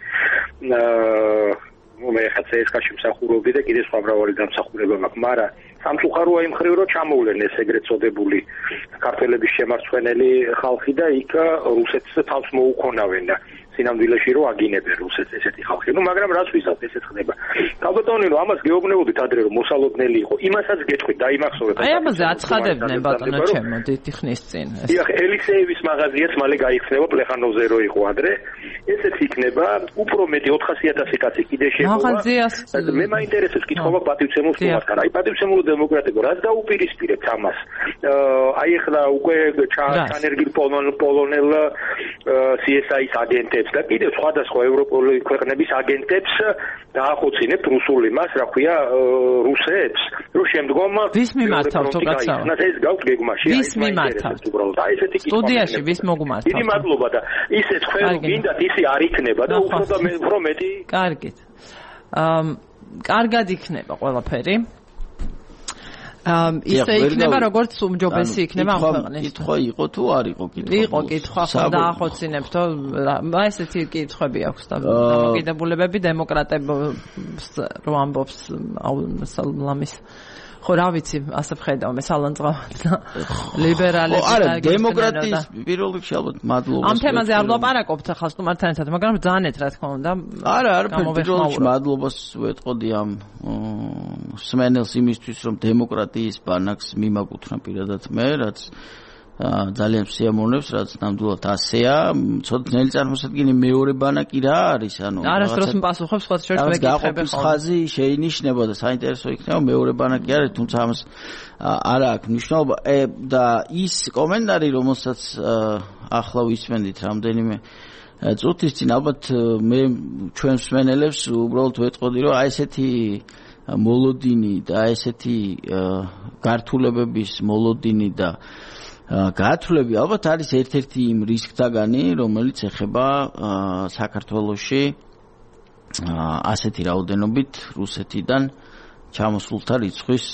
C: მე ხა CSKA-ში მსახურობდი და კიდე სხვა მრავალი დამსახურება მაქვს, მაგრამ სამწუხაროა იმ მხრივ, რომ ჩამოვლენ ეს ეგრეთ წოდებული ქართველების შემარცხვენელი ხალხი და იქ რუსეთს თავს მოუქონავენ და სინამდვილეში რომ აგინებენ რუსეთს ესეთი ხალხი. მაგრამ რას ვიზავთ ესეც ხდება. ქალბატონი რომ ამას გეუბნებოდით ადრე რომ მოსალოდნელი იყო, იმასაც გეტყვით დაიმახსოვრეთ.
A: აი ამაზე აცხადებდნენ ბატონო ჩემო დიდი ხნის წინ.
C: დიახ, ელისეევის მაღაზიაც მალე გაიხსნება პლეხანოვზე რო იყო ადრე. ესეც იქნება უფრო მეტი 400,000 კაცი კიდე შეყოლა.
A: მაღაზიას
C: მე მაინტერესებს კითხვა პატივცემულს თუმცა აი პატივცემულო დემოკრატიკო რაც დაუპირისპირებს ამას. აი ახლა უკვე ჩანერგილ პოლონელ CSI-ის აგენტებს და კიდევ სხვადასხვა ევროპული ქვეყნების აგენტებს დაახოცინებთ რუსულ იმას, რა ქვია, რუსებს, რომ შემდგომ
A: ვის მიმართავთ უკაცრავ?
C: ეს გავთ გეგმაში.
A: ვის მიმართავთ?
C: უბრალოდ აი ესეთი კითხვა.
A: სტუდიაში ვის მოგმართავთ?
C: დიდი მადლობა და ისე თქვენ გინდათ ისე არ იქნება და უფრო მეტი.
A: კარგით. კარგად იქნება ყველაფერი. ისე იქნება როგორც უმჯობესი იქნება ამ ქვეყნის.
B: კითხვა იყო თუ არ იყო კითხვა?
A: იყო კითხვა, ხო დაახოცინებთო, ესეთი კითხვები აქვს და დამოკიდებულებები დემოკრატებს რო ამბობს ლამის. ხო რა ვიცი, ასე ვხედავ მე სალანძღავად და ლიბერალები და
B: არა დემოკრატიის პირველ რიგში ალბათ მადლობა.
A: ამ თემაზე არ ვლაპარაკობთ ახლა სტუმართან ერთად, მაგრამ ბრძანეთ რა თქმა უნდა.
B: არა, პირველ რიგში მადლობას ვეტყოდი ამ სმენელს იმისთვის, რომ დემოკრატიის ბანაკს მიმაკუთვნა პირადად მე, რაც ძალიან სიამოვნებს, რაც ნამდვილად ასეა. ცოტა ძნელი წარმოსადგენი მეორე ბანაკი რა არის, ანუ
A: არასდროს მპასუხობს სხვა შორის მეკითხები
B: ხო. ხაზი შეინიშნება და საინტერესო იქნება მეორე ბანაკი არის, თუმცა ამას არა აქვს მნიშვნელობა. და ის კომენტარი, რომელსაც ახლა ვისმენდით რამდენიმე წუთის წინ, ალბათ მე ჩვენ მსმენელებს უბრალოდ ვეტყოდი, რომ აი ესეთი მოლოდინი და ესეთი გართულებების მოლოდინი და გათვლები ალბათ არის ერთ-ერთი იმ რისკთაგანი, რომელიც ეხება საქართველოში ასეთი რაოდენობით რუსეთიდან ჩამოსულთა რიცხვის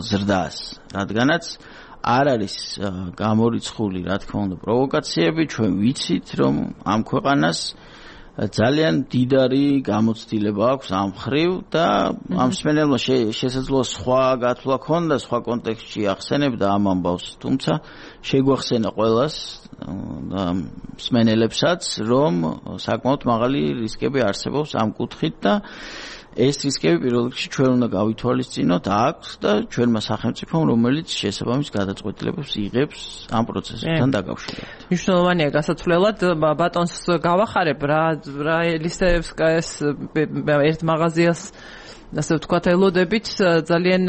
B: ზრდას, რადგანაც არ არის გამორიცხული, რა თქმა უნდა, პროვოკაციები, ჩვენ ვიცით, რომ ამ ქვეყანას ძალიან დიდარი გამოცდილება აქვს ამ ხრივ და ამ მსმენელმა შესაძლოა სხვა გათვლა ქონდა სხვა კონტექსტში ახსენებდა ამ ამბავს, თუმცა შეგვახსენა ყველას და მსმენელებსაც, რომ საკმაოდ მაღალი რისკები არსებობს ამ კუთხით და ეს რისკები პირველ რიგში ჩვენ უნდა გავითვალისწინოთ აქვს და ჩვენმა სახელმწიფომ, რომელიც შესაბამის გადაწყვეტილებებს იღებს ამ პროცესთან დაკავშირებით.
A: მნიშვნელოვანია გასაცვლელად ბატონს გავახარებ რა ელისეევსკაის ერთ მაღაზიას ასე ვთქვათ ელოდებით ძალიან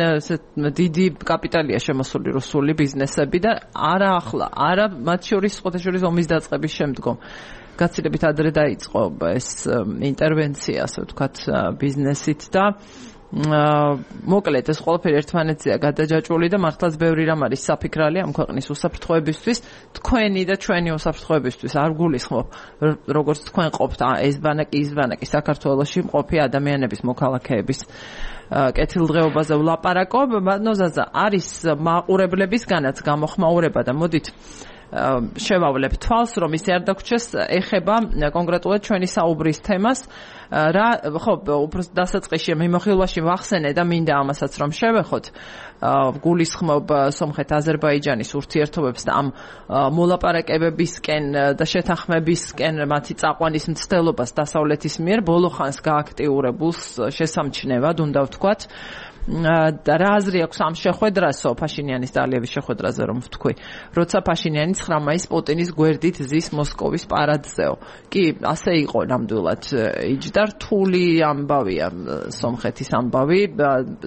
A: დიდი კაპიტალია შემოსული რუსული ბიზნესები და არა ახლა, არა მათ შორის სხვათა შორის ომის დაწყების შემდგომ. გაცილებით ადრე დაიწყო ეს ინტერვენცია, ასე ვთქვათ, ბიზნესით და მოკლედ ეს ყველაფერი ერთმანეთზეა გადაჯაჭვული და მართლაც ბევრი რამ არის საფიქრალი ამ ქვეყნის უსაფრთხოებისთვის, თქვენი და ჩვენი უსაფრთხოებისთვის არ გულისხმობ, როგორც თქვენ ყოფთ ეს ბანაკი, ის ბანაკი საქართველოში მყოფი ადამიანების მოქალაქეების კეთილდღეობაზე ვლაპარაკობ, ნოზაზა არის მაყურებლებისგანაც გამოხმაურება და მოდით შევავლებ თვალს, რომ ისე არ დაგვრჩეს, ეხება კონკრეტულად ჩვენი საუბრის თემას. რა ხო, უფრო დასაწყისში მიმოხილვაში ვახსენე და მინდა ამასაც რომ შევეხოთ. გულისხმობ სომხეთ-აზერბაიჯანის ურთიერთობებს და ამ მოლაპარაკებებისკენ და შეთანხმებისკენ მათი წაყვანის მცდელობას დასავლეთის მიერ ბოლო ხანს გააქტიურებულს შესამჩნევად, უნდა ვთქვათ. და რა აზრი აქვს ამ შეხვედრასო, ფაშინიანის და ალიევის შეხვედრაზე რომ ვთქვი, როცა ფაშინიანი 9 მაისს პუტინის გვერდით ზის მოსკოვის პარადზეო. კი, ასე იყო ნამდვილად იჯდა რთული ამბავია სომხეთის ამბავი,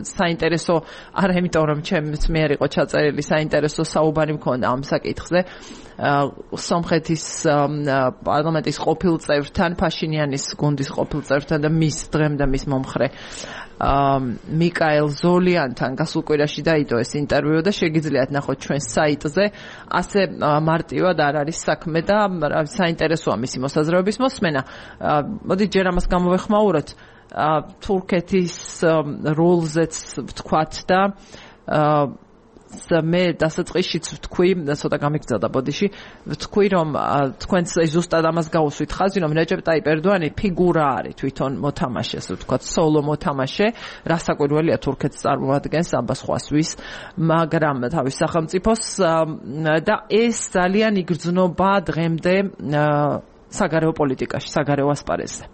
A: საინტერესო არა იმიტომ რომ ჩემს მიერ იყო ჩაწერილი საინტერესო საუბარი მქონდა ამ საკითხზე. სომხეთის პარლამენტის ყოფილ წევრთან, ფაშინიანის გუნდის ყოფილ წევრთან და მის დღემ და მის მომხრე მიკაელ ზოლიანთან გასულ კვირაში დაიდო ეს ინტერვიუ და შეგიძლიათ ნახოთ ჩვენ საიტზე. ასე მარტივად არ არის საქმე და საინტერესოა მისი მოსაზრებების მოსმენა. მოდით ჯერ ამას გამოვეხმაუროთ თურქეთის როლზეც ვთქვათ და მე დასაწყისშიც ვთქვი, ცოტა გამიგზავნა ბოდიში, ვთქვი რომ თქვენც ზუსტად ამას გაუსვით ხაზი, რომ რეჯეპ ტაიპ ერდოანი ფიგურა არის თვითონ მოთამაშე, ასე ვთქვათ, სოლო მოთამაშე, რასაკვირველია თურქეთს წარმოადგენს, აბას ხვასვის, მაგრამ თავის სახელმწიფოს და ეს ძალიან იგრძნობა დღემდე საგარეო პოლიტიკაში, საგარეო ასპარეზზე.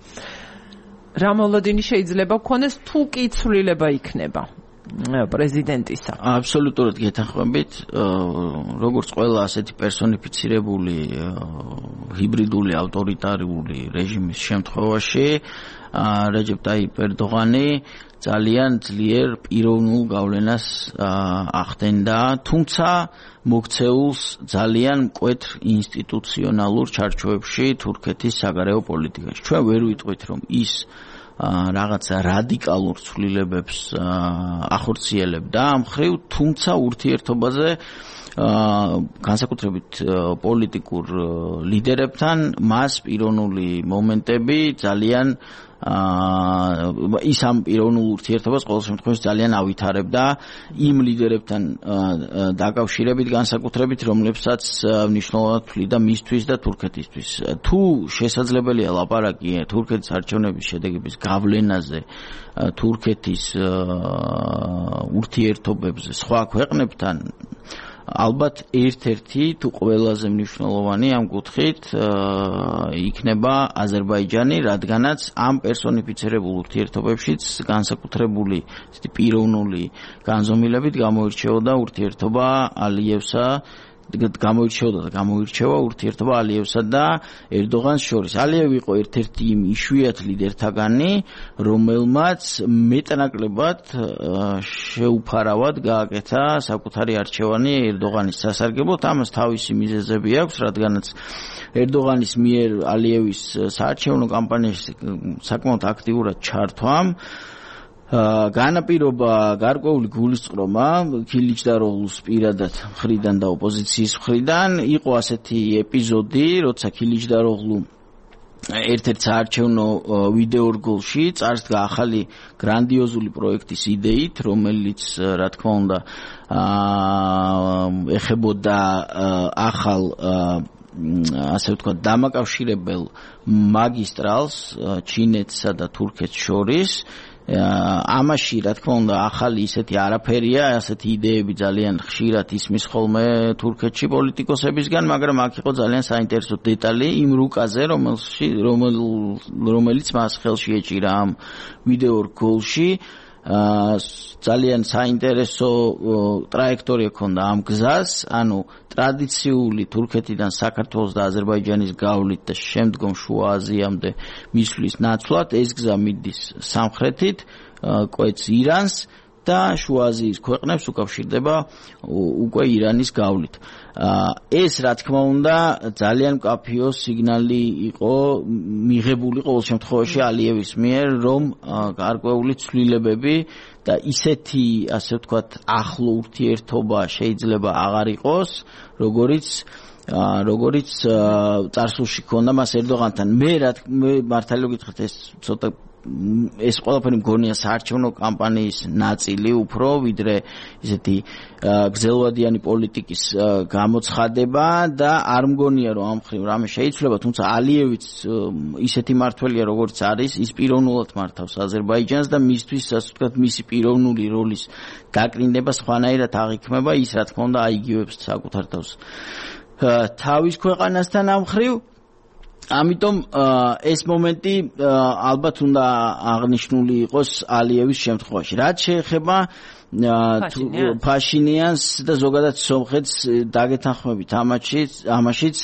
A: რა მოლოდინი შეიძლება გქონდეს თუ კი ცვლილება იქნება პრეზიდენტისა?
B: აბსოლუტურად გეთანხმებით, როგორც ყველა ასეთი პერსონიფიცირებული ჰიბრიდული ავტორიტარული რეჟიმის შემთხვევაში, რეჯეპ ტაიპ ერდოღანი ძალიან ძლიერ პიროვნულ გავლენას ახდენდა, თუმცა მოქცეულს ძალიან მკვეთრ ინსტიტუციონალურ ჩარჩოებში თურქეთის საგარეო პოლიტიკაში. ჩვენ ვერ ვიტყვით, რომ ის რაღაცა რადიკალურ ცვლილებებს ახორციელებდა ამ ხრივ, თუმცა ურთიერთობაზე განსაკუთრებით პოლიტიკურ ლიდერებთან მას პიროვნული მომენტები ძალიან ის ამ პიროვნულ ურთიერთობას ყოველ შემთხვევაში ძალიან ავითარებდა იმ ლიდერებთან დაკავშირებით განსაკუთრებით, რომლებსაც მნიშვნელოვნად თვლიდა მისთვის და თურქეთისთვის. თუ შესაძლებელია ლაპარაკი თურქეთის არჩევნების შედეგების გავლენაზე თურქეთის ურთიერთობებზე სხვა ქვეყნებთან, ალბათ ერთ-ერთი თუ ყველაზე მნიშვნელოვანი ამ კუთხით იქნება აზერბაიჯანი, რადგანაც ამ პერსონიფიცირებულ ურთიერთობებშიც განსაკუთრებული პიროვნული განზომილებით გამოირჩეოდა ურთიერთობა ალიევსა გამოირჩევა ურთიერთობა ალიევსა და ერდოღანს შორის. ალიევი იყო ერთ-ერთი იმ იშვიათ ლიდერთაგანი, რომელმაც მეტნაკლებად შეუფარავად გააკეთა საკუთარი არჩევანი ერდოღანის სასარგებლოდ. ამას თავისი მიზეზები აქვს, რადგანაც ერდოღანის მიერ ალიევის საარჩევნო კამპანიაში საკმაოდ აქტიურად ჩართვამ განაპირობა გარკვეული გულისწყრომა ქილიჩდაროღლუს პირადად მხრიდან და ოპოზიციის მხრიდან. იყო ასეთი ეპიზოდი, როცა ქილიჩდაროღლუ ერთ-ერთ საარჩევნო ვიდეორგოლში წარსდგა ახალი გრანდიოზული პროექტის იდეით, რომელიც რა თქმა უნდა ეხებოდა ახალ ასე ვთქვათ დამაკავშირებელ მაგისტრალს ჩინეთსა და თურქეთს შორის. ამაში რა თქმა უნდა ახალი ისეთი არაფერია, ასეთი იდეები ძალიან ხშირად ისმის ხოლმე თურქეთში პოლიტიკოსებისგან, მაგრამ აქ იყო ძალიან საინტერესო დეტალი იმ რუკაზე, რომელიც მას ხელში ეჭირა ამ ვიდეორგოლში. ძალიან საინტერესო ტრაექტორია ჰქონდა ამ გზას, ანუ ტრადიციული თურქეთიდან საქართველოს და აზერბაიჯანის გავლით და შემდგომ შუა აზიამდე მისვლის ნაცვლად ეს გზა მიდის სამხრეთით, კვეთს ირანს და შუა აზიის ქვეყნებს უკავშირდება უკვე ირანის გავლით. ეს რა თქმა უნდა ძალიან მკაფიო სიგნალი იყო მიღებული ყოველ შემთხვევაში ალიევის მიერ, რომ გარკვეული ცვლილებები და ისეთი ასე ვთქვათ ახლო ურთიერთობა შეიძლება აღარ იყოს, როგორც წარსულში ჰქონდა მას ერდოღანთან. მე მართალია გითხრათ, ეს ყველაფერი მგონია საარჩევნო კამპანიის ნაწილი უფრო, ვიდრე ისეთი გრძელვადიანი პოლიტიკის გამოცხადება და არ მგონია, რომ ამ ხრივ რამე შეიცვლება, თუმცა ალიევიც ისეთი მმართველია, როგორც არის, ის პიროვნულად მართავს აზერბაიჯანს და მისთვის, ასე ვთქვათ, მისი პიროვნული როლის დაკრინდება სხვანაირად აღიქმება, ის რა თქმა უნდა აიგივებს საკუთარ თავს თავის ქვეყანასთან ამ ხრივ. ამიტომ ეს მომენტი ალბათ უნდა აღნიშნული იყოს ალიევის შემთხვევაში. რაც შეეხება ფაშინიანს და ზოგადად სომხეთს დაგეთანხმებით ამაშიც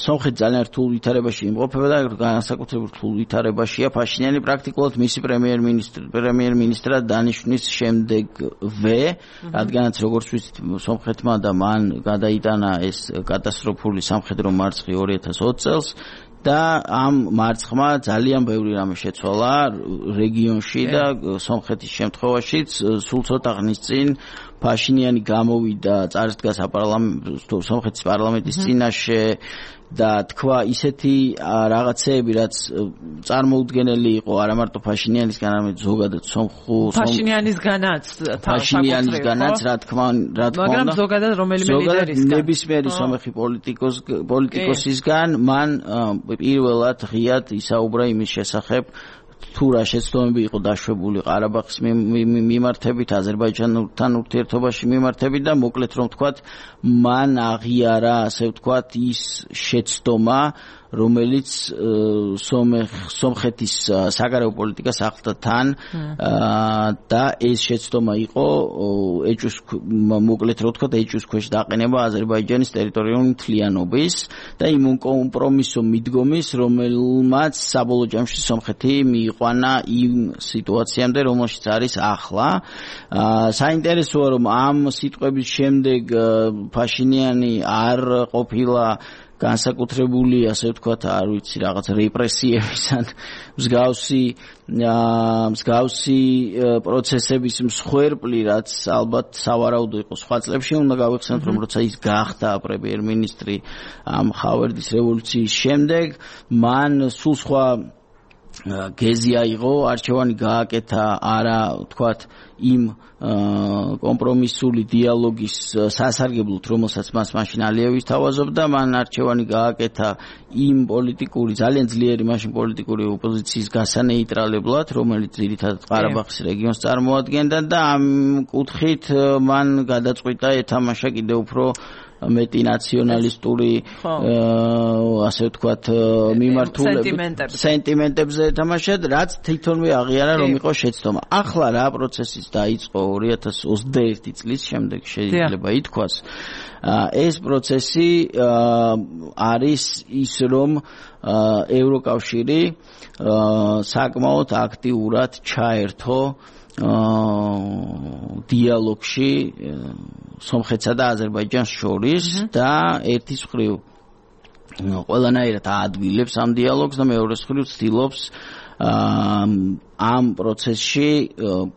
B: სომხეთი ძალიან რთულ ვითარებაში იმყოფება და განსაკუთრებით რთულ ვითარებაშია ფაშინიანი პრაქტიკულად მისი პრემიერ-მინისტრად დანიშვნის შემდეგვე, რადგანაც როგორც ვიცით სომხეთმა და მან გადაიტანა ეს კატასტროფული სამხედრო მარცხი 2020 წელს და ამ მარცხმა ძალიან ბევრი რამე შეცვალა რეგიონში და სომხეთის შემთხვევაშიც სულ ცოტა ხნის წინ ფაშინიანი გამოვიდა წარსდგა სომხეთის პარლამენტის წინაშე და თქვა ისეთი რაღაცეები, რაც წარმოუდგენელი იყო არა მარტო ფაშინიანისგან, არამედ ზოგადად ფაშინიანისგანაც რა თქმა უნდა,
A: მაგრამ ზოგადად რომელიმე ლიდერისგან,
B: ნებისმიერი სომეხი პოლიტიკოსისგან მან პირველად ღიად ისაუბრა იმის შესახებ, თუ რა შეცდომები იყო დაშვებული ყარაბაღის მიმართებით, აზერბაიჯანთან ურთიერთობაში მიმართებით და მოკლედ რომ ვთქვათ, მან აღიარა, ასე ვთქვათ, ის შეცდომა, რომელიც სომხეთის საგარეო პოლიტიკას ახლდა თან და ეს შეცდომა იყო ეჭვის მოკლედ რო ვთქვათ ეჭვის ქვეშ დაყენება აზერბაიჯანის ტერიტორიული მთლიანობის და იმ კომპრომისო მიდგომის რომელმაც საბოლოო ჯამში სომხეთი მიიყვანა იმ სიტუაციამდე რომელშიც არის ახლა საინტერესოა რომ ამ სიტყვების შემდეგ ფაშინიანი არ ყოფილა განსაკუთრებული ასე ვთქვათ არ ვიცი რაღაც რეპრესიების ან მსგავსი პროცესების მსხვერპლი რაც ალბათ სავარაუდო იყო სხვა წლებში უნდა გავიხსენოთ რომ როცა ის გახდა პრემიერ-მინისტრი ამ ხავერდის რევოლუციის შემდეგ მან სულ სხვა გეზი აიღო არჩევანი გააკეთა არა ვთქვათ იმ კომპრომისული დიალოგის სასარგებლოდ რომელსაც მას მაშინ ალიევი თავაზობდა მან არჩევანი გააკეთა იმ პოლიტიკური ძალიან ძლიერი მაშინ პოლიტიკური ოპოზიციის გასანეიტრალებლად რომელიც ძირითადად ყარაბაღის რეგიონს წარმოადგენდა და ამ კუთხით მან გადაწყვიტა ეთამაშა კიდევ უფრო მეტი ნაციონალისტური ასე ვთქვათ მიმართულებით სენტიმენტებზე ეთამაშა რაც თვითონვე აღიარა რომ იყო შეცდომა. ახლა რა პროცესიც დაიწყო 2021 წლის შემდეგ შეიძლება ითქვას ეს პროცესი არის ის რომ ევროკავშირი საკმაოდ აქტიურად ჩაერთო დიალოგში სომხეთსა და აზერბაიჯანს შორის და ერთის მხრივ ყველანაირად აადვილებს ამ დიალოგს და მეორეს მხრივ ცდილობს ამ პროცესში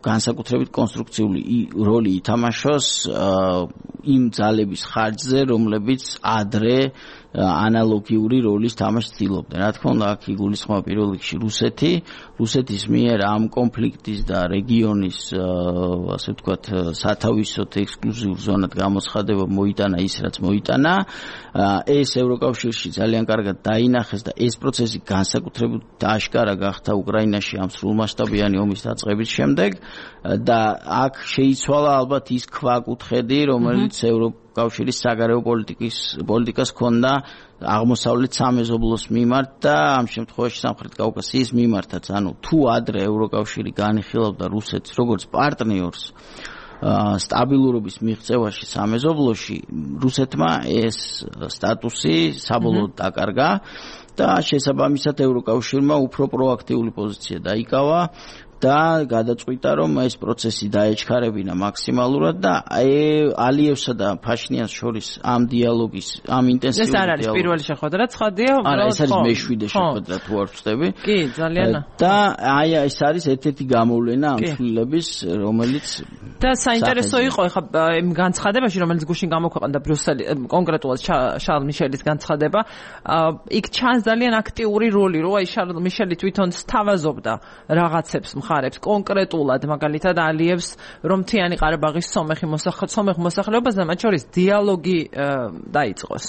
B: განსაკუთრებით კონსტრუქციული როლი ითამაშოს იმ ძალების ხარჯზე რომლებიც ადრე ანალოგიური როლის თამაშს ცდილობდნენ. რა თქმა უნდა, აქ იგულისხმება პირველ რიგში რუსეთის მიერ ამ კონფლიქტის და რეგიონის ასე ვთქვათ სათავისოთ ექსკლუზიურ ზონად გამოცხადება მოიტანა ის რაც მოიტანა. ეს ევროკავშირში ძალიან კარგად დაინახეს და ეს პროცესი განსაკუთრებით აშკარა გახდა უკრაინაში ამ სრულმასშტაბიანი ომის დაწყების შემდეგ და აქ შეიცვალა ალბათ ის ქვაკუთხედი, რომელიც კავშირის საგარეო პოლიტიკას ჰქონდა აღმოსავლეთ სამეზობლოს მიმართ და ამ შემთხვევაში სამხრეთ კავკასიის მიმართაც. ანუ თუ ადრე ევროკავშირი განიხილავდა რუსეთს როგორც პარტნიორს სტაბილურობის მიღწევაში სამეზობლოში, რუსეთმა ეს სტატუსი საბოლოოდ დაკარგა და შესაბამისად ევროკავშირმა უფრო პროაქტიული პოზიცია დაიკავა და გადაწყვიტა რომ ეს პროცესი დაეჩქარებინა მაქსიმალურად და ალიევსა და ფაშინიანს შორის ამ დიალოგის ამ ინტენსიური
A: ეს არ არის პირველი შეხვედრა ცხადია
B: არა ეს არის მეშვიდე შეხვედრა თუ არ ვწდები
A: კი ძალიან
B: და აი ეს არის ერთ-ერთი გამოვლენა ამ ცვლილების რომელიც
A: და საინტერესო იყო ეხლა იმ განცხადებაში რომელიც გუშინ გამოქვეყნდა ბრიუსელი კონკრეტულად შარლ მიშელის განცხადება იქ ჩანს ძალიან აქტიური როლი რომ აი შარლ მიშელი თვითონ სთავაზობდა რაღაცებს მხარებს კონკრეტულად მაგალითად ალიევს რომ მთიანი ყარაბაღის სომეხ მოსახლეობასთან მათ შორის დიალოგი დაიწყოს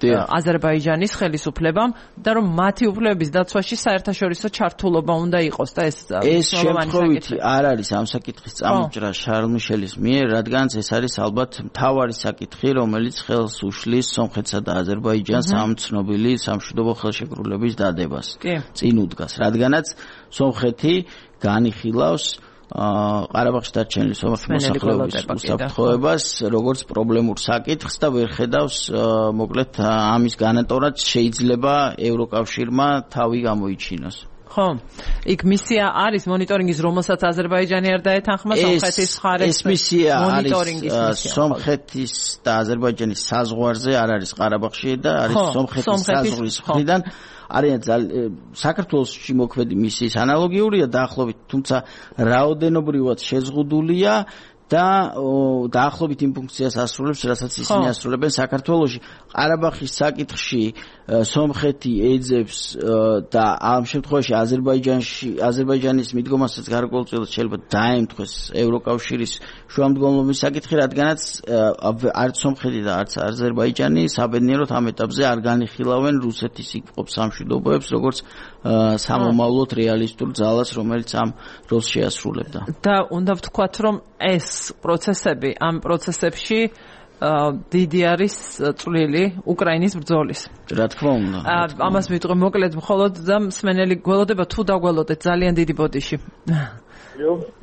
A: აზერბაიჯანის ხელისუფლებამ და რომ მათი უფლებების დაცვაში საერთაშორისო ჩართულობა უნდა იყოს და ეს
B: შემთხვევითი არ არის ამ საკითხის წამოჭრა შარლ მიშელის მიერ, რადგანაც ეს არის ალბათ მთავარი საკითხი, რომელიც ხელს უშლის სომხეთსა და აზერბაიჯანს ამ ცნობილი სამშვიდობო ხელშეკრულების დადებას. წინ უდგას, რადგანაც სომხეთი განიხილავს ყარაბაღში დარჩენილი სომეხი მოსახლეობის უსაფრთხოებას როგორც პრობლემურ საკითხს და ვერ ხედავს მოკლედ ამის განატორად შეიძლება ევროკავშირმა თავი გამოიჩინოს.
A: ხო, იქ მისია არის მონიტორინგის, რომელსაც აზერბაიჯანი არ დაეთანხმა სომხეთის მხარეს.
B: ეს მისია არის სომხეთის და აზერბაიჯანის საზღვარზე, არ არის ყარაბაღში და არის სომხეთის საზღვრის მხრიდან. არიან საქართველოში მოქმედი მისიის ანალოგიურია დაახლოებით, თუმცა რაოდენობრივად შეზღუდულია და დაახლოებით იმ ფუნქციას ასრულებს, რასაც ისინი ასრულებენ საქართველოში. ყარაბაღის საკითხში სომხეთი ეძებს და ამ შემთხვევაში აზერბაიჯანის მიდგომასაც გარკვეულწილად შეიძლება დაემთხეს ევროკავშირის შუამდგომლობის საკითხი, რადგანაც არც სომხეთი და არც აზერბაიჯანი საბედნიეროდ ამ ეტაპზე არ განიხილავენ რუსეთის იქ სამშვიდობოებს როგორც სამომავლოდ რეალისტურ ძალას, რომელიც ამ როლს შეასრულებდა.
A: და უნდა ვთქვათ, რომ ეს პროცესები ამ პროცესებში დიდი არის წვლილი უკრაინის ბრძოლის.
B: რა თქმა უნდა.
A: ამას ვიტყვი მოკლედ მხოლოდ და მსმენელი გველოდება თუ დაგველოდეთ ძალიან დიდი ბოდიში.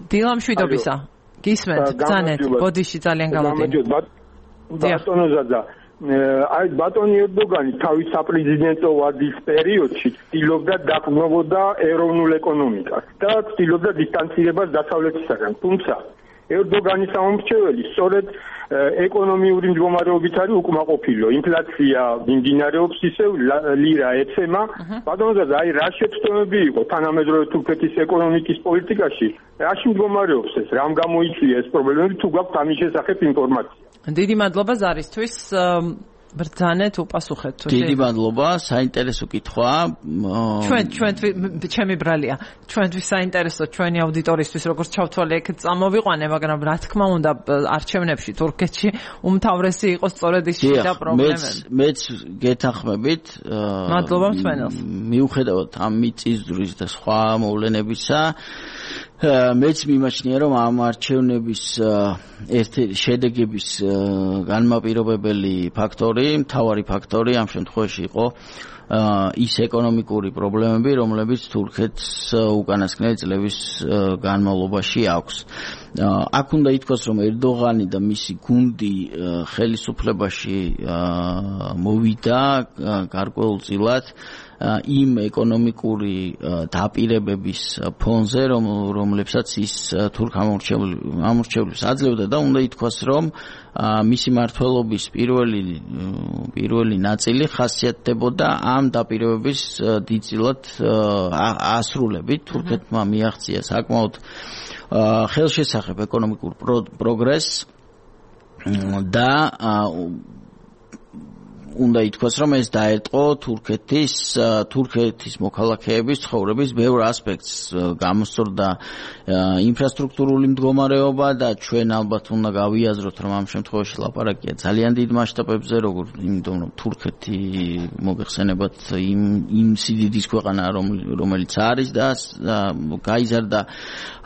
A: დილა მშვიდობისა. გისმენთ ბრძანეთ ბოდიში ძალიან გამოდით.
D: ბატონო ზადა აი ბატონი ერდოგანი თავის საპრეზიდენტო ვადის პერიოდში ცდილობდა დაყრდნობა ეროვნულ ეკონომიკას და ცდილობდა დისტანცირებას დასავლეთისაგან. თუმცა ერდოგანის სამომრჩეველი სწორედ ეკონომიური მდგომარეობით არის უკმაყოფილო. ინფლაცია მიმდინარეობს ისევ ლირა ეცემა. ბატონო ზადა აი რა შეცდომები იყო თანამედროვე თურქეთის ეკონომიკის პოლიტიკაში? რაში მდგომარეობს ეს? რამ გამოიწვია ეს პრობლემები? თუ გაქვთ ამის შესახებ ინფორმაცია?
A: დიდი მადლობა ზარისთვის. ბრძანეთ უპასუხეთ.
B: დიდი მადლობა, საინტერესო კითხვა.
A: ჩვენ ჩემი ბრალია. ჩვენთვის საინტერესო ჩვენი აუდიტორისთვის როგორც ჩავთვალე ეგ წამოვიყვანე, მაგრამ რა თქმა უნდა არჩევნებში თურქეთში უმთავრესი იყო სწორედ ის შიდა პრობლემები.
B: მეც გეთანხმებით.
A: მადლობა მსმენელს.
B: მიუხედავად ამ მიწისძვრის და სხვა მოვლენებისა, მეც მიმაჩნია რომ ამ არჩევნების შედეგების განმაპირობებელი ფაქტორი, მთავარი ფაქტორი ამ შემთხვევაში იყო ის ეკონომიკური პრობლემები, რომლებიც თურქეთს უკანასკნელი წლების განმავლობაში აქვს. აქ უნდა ითქვას, რომ ერდოღანი და მისი გუნდი ხელისუფლებაში მოვიდა გარკვეულწილად იმ ეკონომიკური დაპირებების ფონზე, რომლებსაც ის თურქ ამორჩევლებს აძლევდა და უნდა ითქვას, რომ მისი მმართველობის პირველი ნაწილი ხასიათდებოდა ამ დაპირებების დიდწილად ასრულებით. თურქეთმა მიაღწია საკმაოდ ხელშესახებ ეკონომიკურ პროგრესს და უნდა ითქვას, რომ ეს დაერტყო თურქეთის მოქალაქეების ცხოვრების ბევრ ასპექტს. გამოსწორდა ინფრასტრუქტურული მდგომარეობა და ჩვენ ალბათ უნდა გავიაზროთ, რომ ამ შემთხვევაში ლაპარაკია ძალიან დიდ მასშტაბებზე, იმიტომ რომ თურქეთი მოგეხსენებათ იმ სიდიდის ქვეყანა, რომელიც არის და გაიზარდა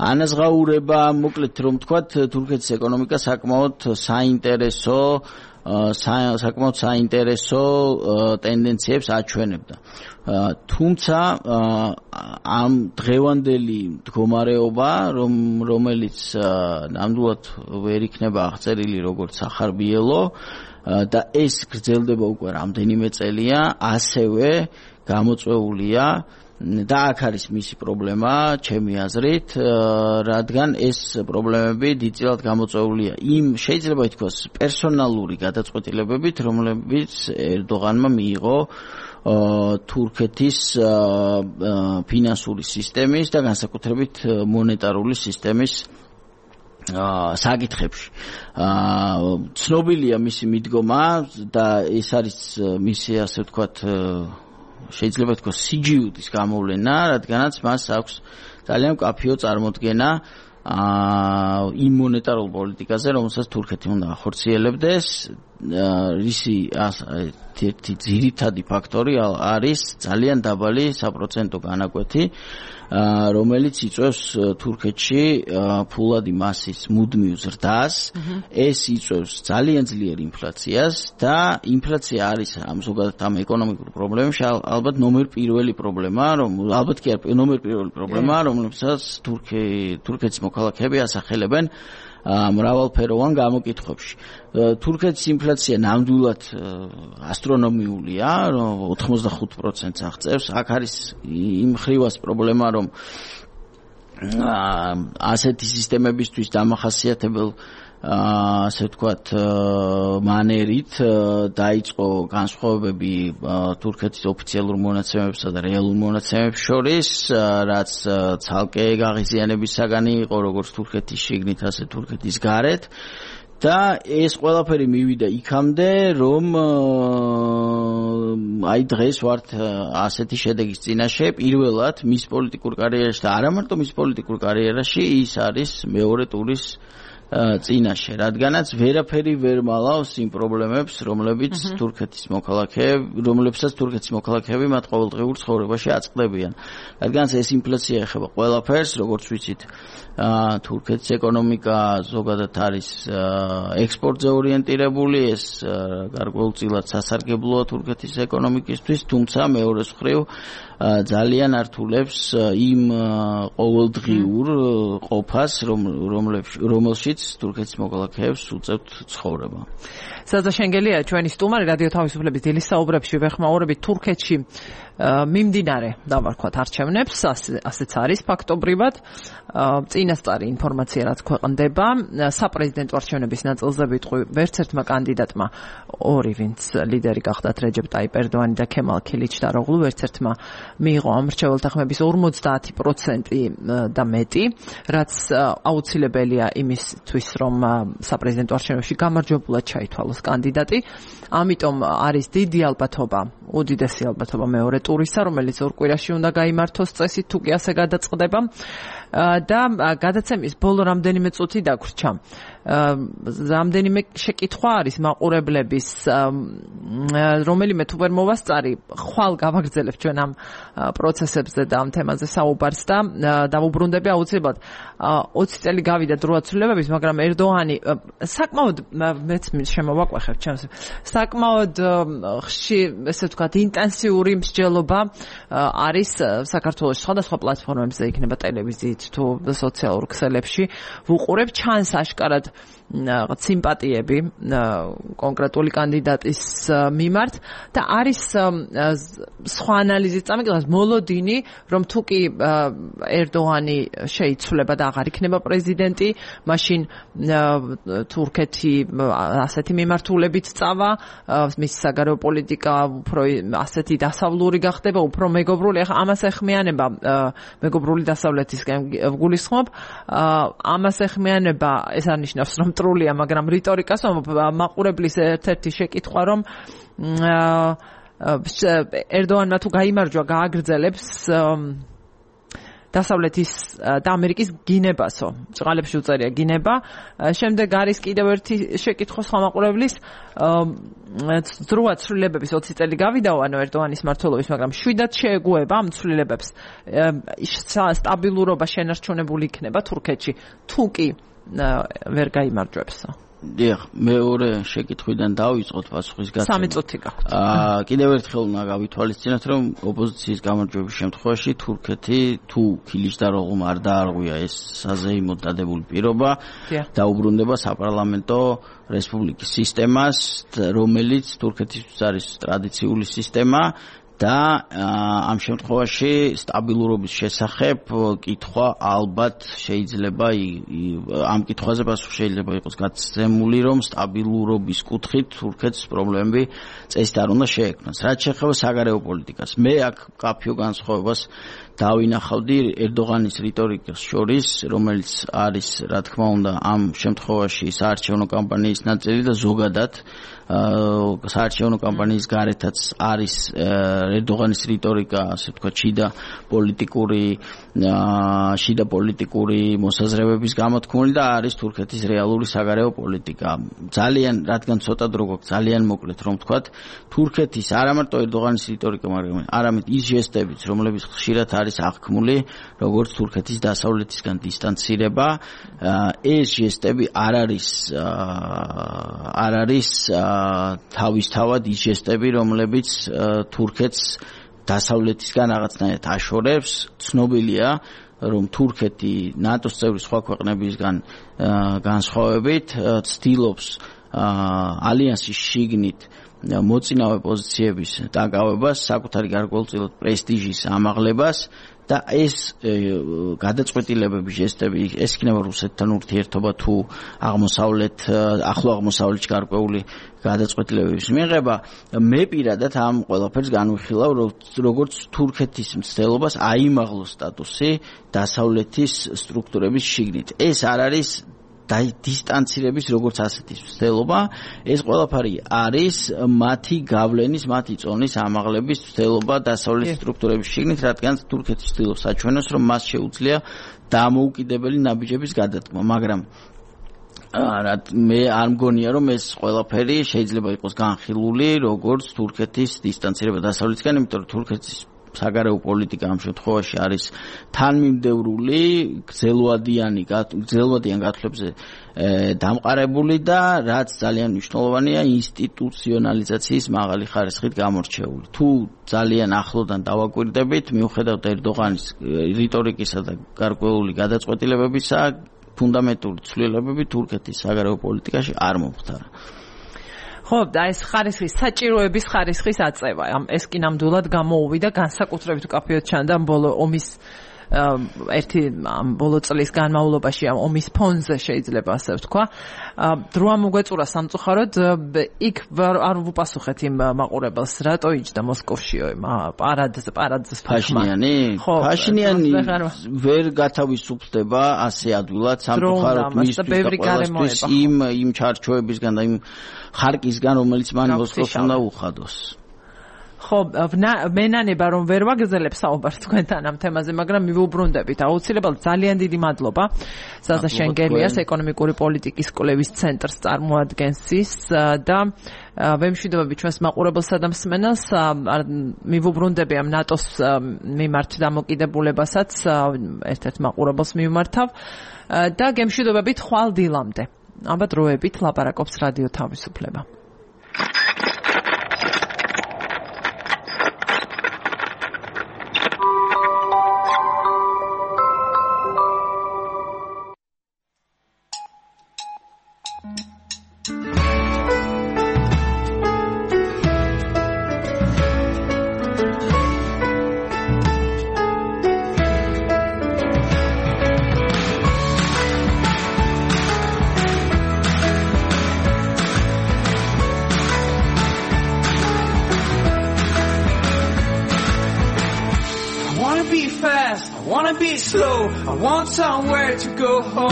B: ანაზღაურება, მოკლედ რომ ვთქვათ, თურქეთის ეკონომიკა საკმაოდ საინტერესო ტენდენციებს აჩვენებდა. თუმცა ამ დღევანდელი მდგომარეობა, რომელიც ნამდვილად ვერ იქნება აღწერილი როგორც სახარბიელო და ეს გრძელდება უკვე რამდენიმე წელია, ასევე გამოწვეულია და აქ არის მისი პრობლემა, ჩემი აზრით, რადგან ეს პრობლემები დიდწილად გამოწვეულია იმ შეიძლება ითქვას პერსონალური გადაწყვეტილებებით, რომლებიც ერდოღანმა მიიღო თურქეთის ფინანსური სისტემის და განსაკუთრებით მონეტარული სისტემის საკითხებში. ცნობილია მისი მიდგომა და ეს არის მისი ასე ვთქვათ შეიძლება ითქვას სიჯიუდის გამოვლენა, რადგანაც მას აქვს ძალიან მკაფიო წარმოდგენა იმ მონეტარულ პოლიტიკაზე, რომელსაც თურქეთი უნდა ახორციელებდეს. რისი ერთი ძირითადი ფაქტორი არის ძალიან დაბალი საპროცენტო განაკვეთი, რომელიც იწვევს თურქეთში ფულადი მასის მუდმივ ზრდას. ეს იწვევს ძალიან ძლიერ ინფლაციას და ინფლაცია არის ზოგადად ამ ეკონომიკურ პრობლემებში ალბათ ნომერ პირველი პრობლემა, რომელსაც თურქეთის მოქალაქეები ასახელებენ მრავალფეროვან გამოკითხვებში. თურქეთის ინფლაცია ნამდვილად ასტრონომიულია, 85%-ს აღწევს. აქ არის იმ ხრივას პრობლემა, რომ ასეთი სისტემებისთვის დამახასიათებელ ასე ვთქვათ მანერით დაიწყო განსხვავებები თურქეთის ოფიციალურ მონაცემებსა და რეალურ მონაცემებს შორის, რაც ცალკე გაღიზიანების საგანი იყო როგორც თურქეთის შიგნით, ასე თურქეთის გარეთ. და ეს ყველაფერი მივიდა იქამდე, რომ აი დღეს ვართ ასეთი შედეგის წინაშე. პირველად მის პოლიტიკურ კარიერაში და არა მარტო მის პოლიტიკურ კარიერაში, ის არის მეორე ტურის წინაშე, რადგანაც ვერაფერი ვერ მალავს იმ პრობლემებს, რომლებსაც თურქეთის მოქალაქეები მათ ყოველდღიურ ცხოვრებაში აწყდებიან. რადგანაც ეს ინფლაცია ეხება ყველაფერს, როგორც ვიცით, თურქეთის ეკონომიკა ზოგადად არის ექსპორტზე ორიენტირებული, ეს გარკვეულწილად სასარგებლოა თურქეთის ეკონომიკისთვის, თუმცა მეორე მხრივ ძალიან ართულებს იმ ყოველდღიურ ყოფას, რომელშიც თურქეთის მოქალაქეებს უწევთ ცხოვრება.
A: სადა შენგელია ჩვენი სტუმარი რადიო თავისუფლების დილის საუბრებში ვეხმაურებით თურქეთში მიმდინარე დავარქვათ არჩევნებს, ასეც არის ფაქტობრივად. წინასწარი ინფორმაცია რაც ქვეყნდება, საპრეზიდენტო არჩევნების ნაწილზე ვიტყვი, ვერც ერთმა კანდიდატმა ორი, ვინც ლიდერი გახდათ რეჯეპ ტაიპ ერდოანი და ქემალ ქილიჩდაროღლუ, ვერც ერთმა მიიღო ამ მრჩეველთა ხმების 50% და მეტი, რაც აუცილებელია იმისთვის, რომ საპრეზიდენტო არჩევნებში გამარჯვებულად ჩაითვალოს კანდიდატი. ამიტომ არის დიდი ალბათობა, უდიდესი ალბათობა მეორე ტურისა, რომელიც ორ კვირაში უნდა გაიმართოს წესით, თუ კი ასე გადაწყდება. და გადაცემის ბოლო რამდენიმე წუთი დაგვრჩა. რამდენიმე შეკითხვა არის მაყურებლების, რომელიმე თუ ვერ მოვასწარი, ხვალ გავაგრძელებ ჩვენ ამ პროცესებზე და ამ თემაზე საუბარს და დავუბრუნდები აუცილებლად 20 წელი გავიდა დროაცვლილებების, მაგრამ ერდოანი საკმაოდ მეც შემოვაყვეხებ ჩემს საკმაოდ ესე ვთქვათ ინტენსიური მსჯელობა არის საქართველოს სხვადასხვა პლატფორმებზე, იქნება ტელევიზიით თუ სოციალურ ქსელებში ვუყურებ, ჩანს აშკარად სიმპათიები კონკრეტული კანდიდატის მიმართ და არის სხვა ანალიზის წამოიღებას მოლოდინი, რომ თუ კი ერდოანი შეიცვლება და აღარ იქნება პრეზიდენტი, მაშინ თურქეთი ასეთი მიმართულებით წავა, მის საგარეო პოლიტიკა უფრო ასეთი დასავლური გახდება, უფრო მეგობრული. ახლა ამას ეხმიანება მეგობრული დასავლეთისკენ ვგულისხმობ, ამას ეხმიანება ეს არნიშნავს, რომ მტრულია, მაგრამ რიტორიკას მაყურებლის ერთ-ერთი შეკითხვა, რომ ერდოანმა თუ გაიმარჯვა, გააგრძელებს დასავლეთის და ამერიკის გინებასო. ჭყალებში უწერია გინება. შემდეგ არის კიდევ ერთი შეკითხვა სხვა მაყურებლის, დროა ცვლილებების 20 წელი გავიდაო, ანუ ერდოანის მმართველობის, მაგრამ შვიდად შეეგუება ამ ცვლილებებს. სტაბილურობა შენარჩუნებული იქნება თურქეთში, თუ კი ვერ გაიმარჯვებსო.
B: დიახ, მეორე შეკითხვიდან დავიწყოთ პასუხის გაცემა.
A: 3 წუთი გაქვთ.
B: კიდევ ერთხელ უნდა გავითვალისწინოთ, რომ ოპოზიციის გამარჯვების შემთხვევაში თურქეთი თუ ქილიჩდაროღლუმა არ დაარღვია ეს საზეიმოდ დადებული პირობა, დაუბრუნდება საპარლამენტო რესპუბლიკის სისტემას, რომელიც თურქეთისთვის არის ტრადიციული სისტემა. და ამ შემთხვევაში სტაბილურობის შესახებ კითხვა ალბათ შეიძლება ამ კითხვაზე პასუხი შეიძლება იყოს გაცემული, რომ სტაბილურობის კუთხით თურქეთს პრობლემები წესით არ უნდა შეექმნას. რაც შეეხება საგარეო პოლიტიკას, მე აქ კაფიო განსხვავებას დავინახავდი ერდოღანის რიტორიკას შორის, რომელიც არის, რა თქმა უნდა, ამ შემთხვევაში საარჩევნო კამპანიის ნაწილი და ზოგადად საარჩევნო კამპანიის გარეთაც არის ერდოღანის რიტორიკა, ასე ვთქვათ, შიდა პოლიტიკური მოსაზრებების გამოთქმული და არის თურქეთის რეალური საგარეო პოლიტიკა. ძალიან, რადგან ცოტა დრო გვაქვს, ძალიან მოკლედ რომ ვთქვათ, თურქეთის არა მარტო ერდოღანის რიტორიკა, მაგრამ არამედ ის ჟესტებიც, რომლებიც ხშირად არის აღქმული, როგორც თურქეთის დასავლეთისგან დისტანცირება, ეს ჟესტები არ არის თავისთავად ის ჟესტები, რომლებიც თურქეთს დასავლეთისგან რაღაცნაირად აშორებს. ცნობილია, რომ თურქეთი ნატოს წევრი სხვა ქვეყნებისგან განსხვავებით ცდილობს ალიანსის შიგნით მოწინავე პოზიციების დაკავებას, საკუთარი გარკვეულწილად პრესტიჟის ამაღლებას და ეს გადაწყვეტილებები, ჟესტები, ეს იქნება რუსეთთან ურთიერთობა თუ ახლო აღმოსავლეთში გარკვეული გადაწყვეტილებების მიღება. მე პირადად ამ ყველაფერს განვიხილავ, როგორც თურქეთის მცდელობას აიმაღლოს სტატუსი დასავლეთის სტრუქტურების შიგნით. ეს არ არის დისტანცირების როგორც ასეთის მცდელობა, ეს ყველაფერი არის მათი გავლენის, მათი წონის ამაღლების მცდელობა დასავლეთის სტრუქტურების შიგნით, რადგან თურქეთი ცდილობს საჩვენოს, რომ მას შეუძლია დამოუკიდებელი ნაბიჯების გადადგმა, მაგრამ მე არ მგონია რომ ეს ყველაფერი შეიძლება იყოს განხილული როგორც თურქეთის დისტანცირება დასავლეთიდან, იმიტომ რომ თურქეთის საგარეო პოლიტიკა ამ შემთხვევაში არის თანმიმდევრული, გრძელვადიან გათვლებზე დამყარებული და რაც ძალიან მნიშვნელოვანია ინსტიტუციონალიზაციის მაღალი ხარისხით გამორჩეული. თუ ძალიან ახლოდან დავაკვირდებით, მიუხედავად ერდოღანის რიტორიკისა და გარკვეული გადაწყვეტილებებისა, ფუნდამენტური ცვლილებები თურქეთის საგარეო პოლიტიკაში არ მომხდარა.
A: ხო, და ეს ხარისხის საჭიროების ხარისხის აწევა, ეს კი ნამდვილად გამოუვიდა განსაკუთრებით უკაფიოდ ჩანდა ბოლო ომის ბოლო წლის განმავლობაში ამ ომის ფონზე შეიძლება ასე ვთქვა. დრო ამოგვეწურა სამწუხაროდ იქ არ ვუპასუხეთ იმ მაყურებელს, რატო იჯდა მოსკოვშიო პარადს
B: ფაშინიანი? ხო, ფაშინიანი ვერ გათავისუფლდება ასე ადვილად სამწუხაროდ მისთვის იმ ჩარჩოებისგან და იმ ხარკისგან, რომელიც მან მოსკოვს უნდა უხადოს. ხო, მენანება რომ ვერ ვაგზელებ საუბარს თქვენთან ამ თემაზე, მაგრამ მივუბრუნდებით. აუცილებლად ძალიან დიდი მადლობა. ზაზა შენგელიას ეკონომიკური პოლიტიკის კვლევის ცენტრს წარმოადგენს ის და ვემშვიდობები ჩვენს მაყურებელსა და მსმენელს. მივუბრუნდები ამ ნატოს მიმართ დამოკიდებულებასაც ერთ-ერთ მაყურებელს მივმართავ და გემშვიდობებით ხვალ დილამდე. აბა დროებით ლაპარაკობს რადიო თავისუფლება.
E: I want somewhere to go home.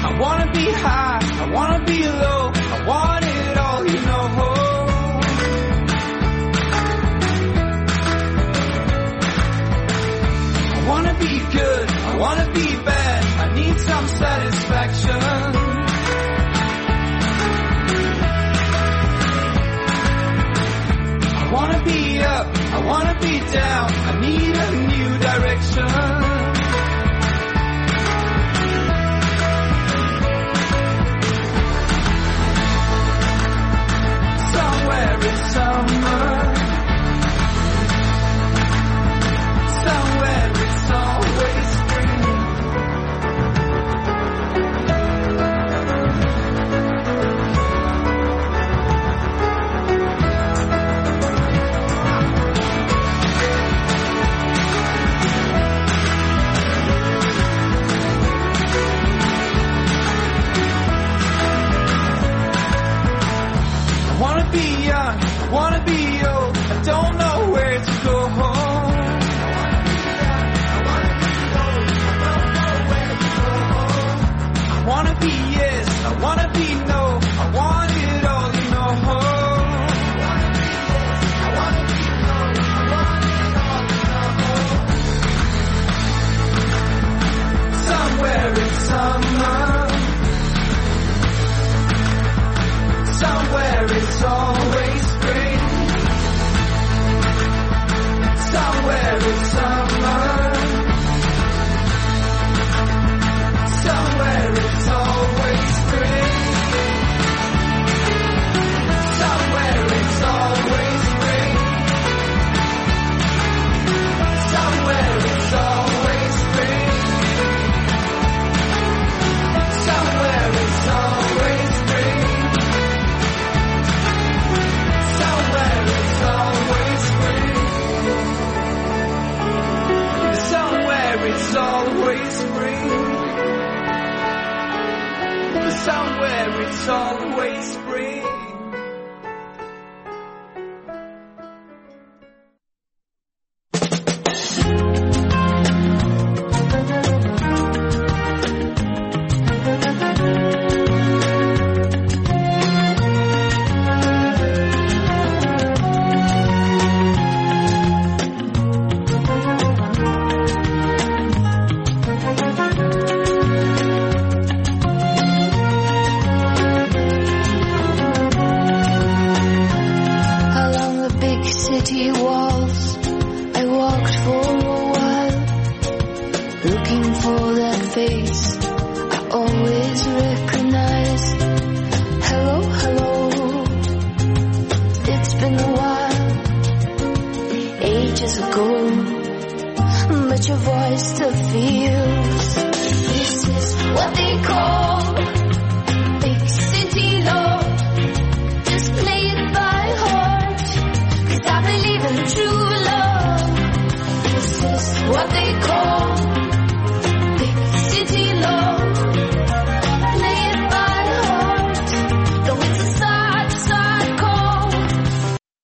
E: I wanna be high, I wanna be low, I want it all, you know. I wanna be good, I wanna be bad, I need some satisfaction. I wanna be up, I wanna be down, I need a new direction. Somewhere in summer, somewhere it's always spring. Be young, wanna be old, I don't know where to go home. I wanna be yes, I wanna be no, I want it all, you know. Somewhere in summer, somewhere it's always spring.
F: city walls. I walked for a while, looking for that face I always recognize. Hello, hello, it's been a while, ages ago, but your voice still feels. This is what they call